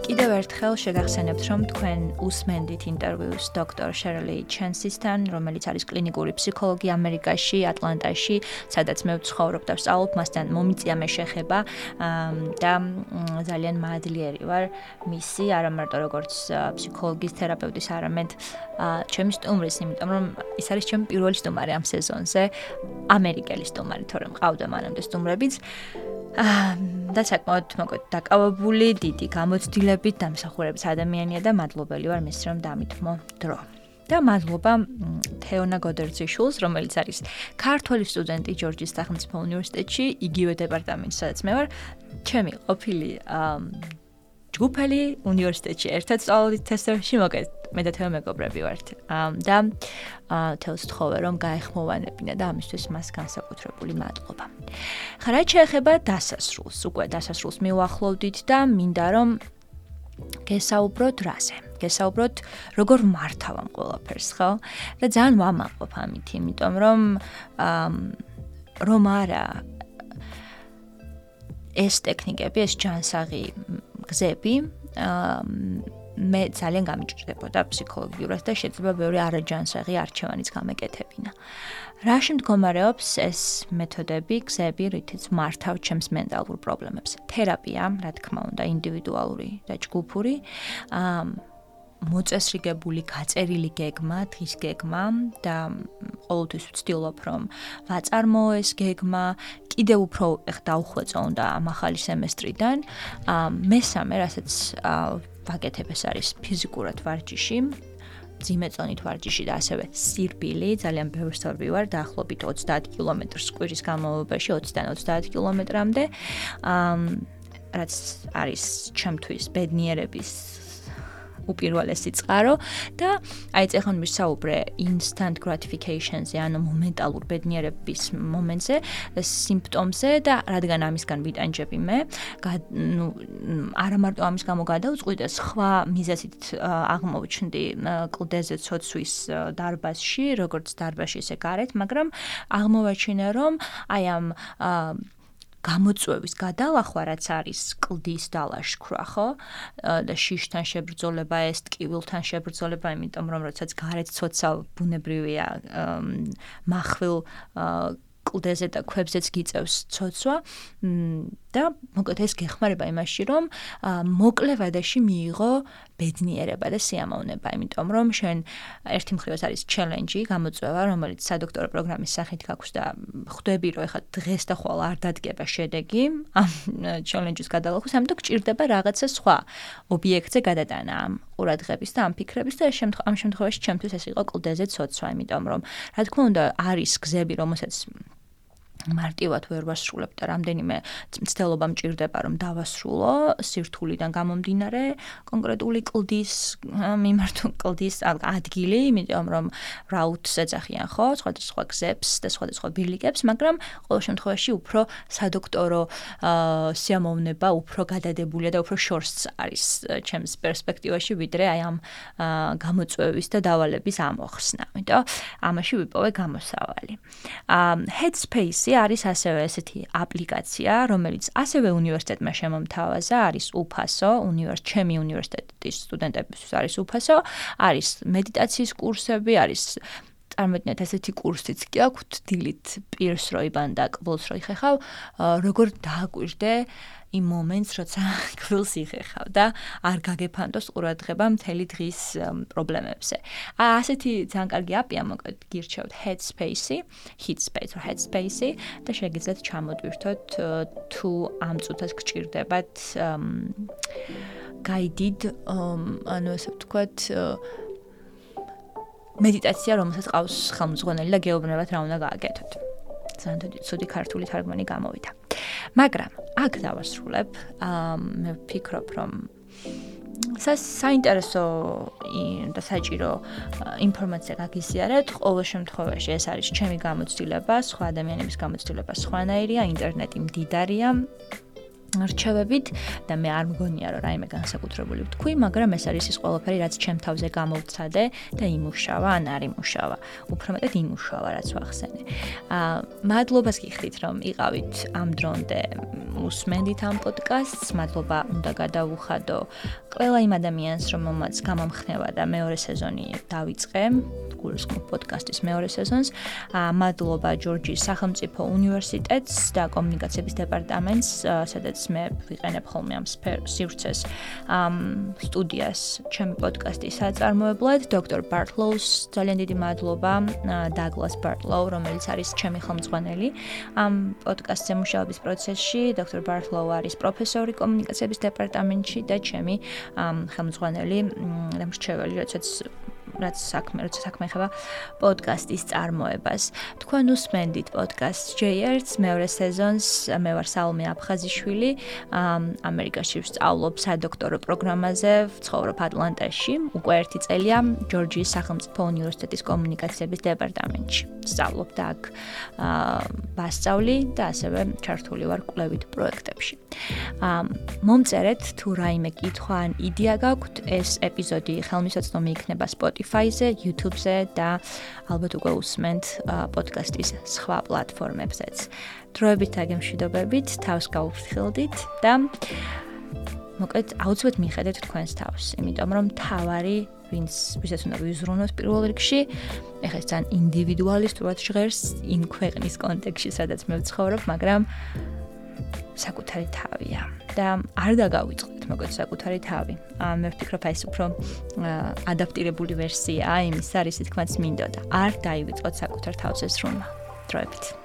კიდევ ერთხელ შეგახსენებთ, რომ თქვენ უსმენდით ინტერვიუს დოქტორ შერლი ჩენსისთან, რომელიც არის კლინიკური ფსიქოლოგი ამერიკაში, ატლანტაში, სადაც მე ვცხოვრობ და ვსწავლობ, მასთან მომიწია მე შეხება და ძალიან მადლიერი ვარ მისი, არა მარტო როგორც ფსიქოლოგის თერაპევტის, არამედ ჩემი სტუმრის, იმიტომ რომ ის არის ჩემი პირველი სტუმარი ამ სეზონზე, ამერიკელი სტუმარი, თორემ მყავდა მანამდე სტუმრებიც. და საკმაოდ მოკლედ დაკავებული, დიდი გამოცდილებით დამსახურების ადამიანია და მადლობელი ვარ მის რომ დამითმო დრო. და მადლობა თეონა გოდერძიშვილს, რომელიც არის ქართველი სტუდენტი ჯორჯის სახელმწიფო უნივერსიტეტში, იგივე დეპარტამენტში, სადაც მე ვარ, ჩემი ყოფილი ჯგუფელი უნივერსიტეტში ერთად სწავლობთ თესტებში, მოკლედ მე და თეო მეგობრები ვართ. და თელს თხოვე რომ გაეხმოვანებინა და ამისთვის მას განსაკუთრებული მადლობა. რაც შეეხება დასასრულს, უკვე დასასრულს მივახლოვდით და მინდა რომ გესაუბროთ რაზე. გესაუბროთ როგორ მართავ ამ ყველაფერს, ხო? და ძალიან ვამაყობ ამით, იმიტომ რომ არა ეს ტექნიკები, ეს ჯანსაღი გზები მე ძალიან გამიჭირდებოდა ფსიქოლოგიურად და შეიძლება ბევრი არაჯანსაღი არჩევანიც გამეკეთებინა. რაში მდგომარეობს ეს მეთოდები, გზები, რითიც მართავ ჩემს მენტალურ პრობლემებს? თერაპია, რა თქმა უნდა, ინდივიდუალური და ჯგუფური, მოწესრიგებული, გაწერილი გეგმა, დღის გეგმა და ყოველთვის ვცდილობ რომ ვაწარმოო ეს გეგმა, კიდევ უფრო დაუხვეწო უნდა ამ ახალი სემესტრიდან. მესამე, რასაც ვაკეთებ, ეს არის ფიზიკურად ვარჯიში, ძიმეწონით ვარჯიში და ასევე სირბილი, ძალიან ბევრს ვარ დაახლოებით 30 კილომეტრს კვირის განმავლობაში, 20-დან 30 კილომეტრამდე, რაც არის ჩემთვის ბედნიერების უპირველესი წყარო და აი ეს ახლა ვისაუბრე instant gratification-ზე, ანუ მომენტალურ ბედნიერების მომენტზე, სიმპტომზე და რადგან ამისგან ვიტანჯები მე, არა მარტო ამის გამო გადავწყვიტე, სხვა მიზეზით აღმოჩნდი კლდეზე ცოცვის დარბაზში, როგორც დარბაზში, ისე გარეთ, მაგრამ აღმოვაჩინე, რომ აი ამ გამოწვევის გადალახვა, რაც არის კლდის დალაშქვრა, ხო? და შიშთან შებრძოლება, ეს ტკივილთან შებრძოლება, იმიტომ რომ როდესაც გარეთ ცოცავ ბუნებრივია מחვილ კლდეზე და ქვებზეც გიწევს ცოცვა და მოკლედ ეს გეხმარება იმაში, რომ მოკლე ვადაში მიიღო ბედნიერება და სიამოვნება, იმიტომ რომ შენ ერთი მხრივ არის ჩელენჯი, გამოწვევა, რომელიც სადოქტორო პროგრამის სახით გაქვს და ხვდები, რომ ეხლა დღეს და ხვალ არ დადგება შედეგი ამ ჩელენჯის გადალახვის, ამიტომ გჭირდება რაღაცა სხვა ობიექტზე გადატანა ამ ყურადღების და ამ ფიქრების და ამ შემთხვევაში ჩემთვის ეს იყო კლდეზე ცოცვა, იმიტომ რომ რა თქმა უნდა არის გზები, რომელსაც მარტივად ვერ ვასრულებ და რამდენიმე მცდელობა მჭირდება რომ დავასრულო სირთულიდან გამომდინარე კონკრეტული კლდის მიმართული ადგილი, იმიტომ რომ რაუტს ეძახიან ხო, სხვადასხვა გზებს და სხვადასხვა ბილიკებს, მაგრამ ყოველ შემთხვევაში უფრო სადოქტორო სიამოვნება უფრო გადადებულია და უფრო შორს არის ჩემს პერსპექტივაში, ვიდრე აი ამ გამოწვევის და დავალების ამოხსნა. იმიტომ ამაში ვიპოვე გამოსავალი. Headspace არის ასევე ესეთი აპლიკაცია, რომელიც ასევე უნივერსიტეტმა შემომთავაზა, არის უფასო, ჩემი უნივერსიტეტის სტუდენტებისთვის არის უფასო, არის მედიტაციის კურსები, არის წარმოვიდგინეთ ესეთი კურსიც კი აქვთ დილით პირს რო იბან და კბილს რო იხეხავ, როგორ დააკვირდე იმ მომენტს, როცა კბილს იხეხავ და არ გაგეფანტოს ყურადღება მთელი დღის პრობლემებზე. ასეთი ძალიან კარგი აპია, მოკლედ გირჩევთ Headspace და შეგიძლიათ ჩამოდვირთოთ თუ ამ წუთას გჭირდებათ guided, ანუ ესე ვთქვათ, მედიტაცია, რომელსაც ყავს ხელმძღვანელი და გეუბნებათ რა უნდა გააკეთოთ. ძალიან ცუდი ქართული თარგმანი გამოვიდა. მაგრამ აქ დავასრულებ, მე ვფიქრობ, რომ საინტერესო და საჭირო ინფორმაცია გაგიზიარეთ. ყოველ შემთხვევაში ეს არის ჩემი გამოცდილება, სხვა ადამიანების გამოცდილება სხვანაირია, ინტერნეტი მდიდარია რჩევებით და მე არ მგონია რომ რაიმე განსაკუთრებული ვთქვი, მაგრამ ეს არის ის ყველაფერი, რაც ჩემ თავზე გამოვცადე და იმუშავა, ან არ იმუშავა. უფრო მეტად იმუშავა, რაც ვახსენე. მადლობას გიხდით, რომ იყავით ამ დრომდე უსმენდით ამ პოდკასტს. მადლობა უნდა გადავუხადო ყველა იმ ადამიანს, რომელმაც გამომხნევა და მეორე სეზონი დავიწყე. გულისხმობ პოდკასტის მეორე სეზონს. მადლობა ჯორჯის სახელმწიფო უნივერსიტეტს და კომუნიკაციების დეპარტამენტს, სადაც მე ვიყენებ ხოლმე ამ სივრცეს სტუდიას ჩემი პოდკასტის საწარმოებლად. დოქტორ ბარტლოუს ძალიან დიდი მადლობა, დაგლას ბარტლოუ, რომელიც არის ჩემი ხელმძღვანელი ამ პოდკასტზე მუშაობის პროცესში. დოქტორ ბარტლოუ არის პროფესორი კომუნიკაციების დეპარტამენტში და ჩემი ხელმძღვანელი და მრჩეველი, რაც საქმე ეხება პოდკასტის წარმოებას. თქვენ უსმენდით პოდკასტ J-Erts მეორე სეზონს. მე ვარ სალომე აფხაზიშვილი. ამერიკაში ვსწავლობ სადოქტორო პროგრამაზე, ვცხოვრობ ატლანტაში. უკვე 1 წელია ჯორჯიის სახელმწიფო უნივერსიტეტის კომუნიკაციების დეპარტამენტში. ვსწავლობ და აქ ვასწავლი და ასევე ჩართული ვარ კვლევით პროექტებში. მომწერეთ თუ რაიმე კითხვა ან იდეა გაქვთ, ეს ეპიზოდი ხელმისაწვდომი იქნება Spotify-ზე, YouTube-ზე და ალბათ უკვე უსმენთ პოდკასტის სხვა პლატფორმებზეც. დროებით აგემშვიდობებით, თავს გაუფრთხილდით და მოკლედ აუცილებლად მიხედეთ თქვენს თავს, იმიტომ რომ თავარი ვისაც უნდა ვიზრუნოთ პირველ რიგში, ეხლა ეს ძალიან ინდივიდუალისტურად ჟღერს იმ ქვეყნის კონტექსტში, სადაც მე ვცხოვრობ, მაგრამ საკუთარი თავია და არ დაგავიწყდეთ მოკლედ საკუთარი თავი. მე ვფიქრობ, ეს უფრო ადაპტირებული ვერსიაა იმისა, რისი თქმაც მინდოდა. არ დაივიწყოთ საკუთარ თავზე ზრუნვა. დროებით.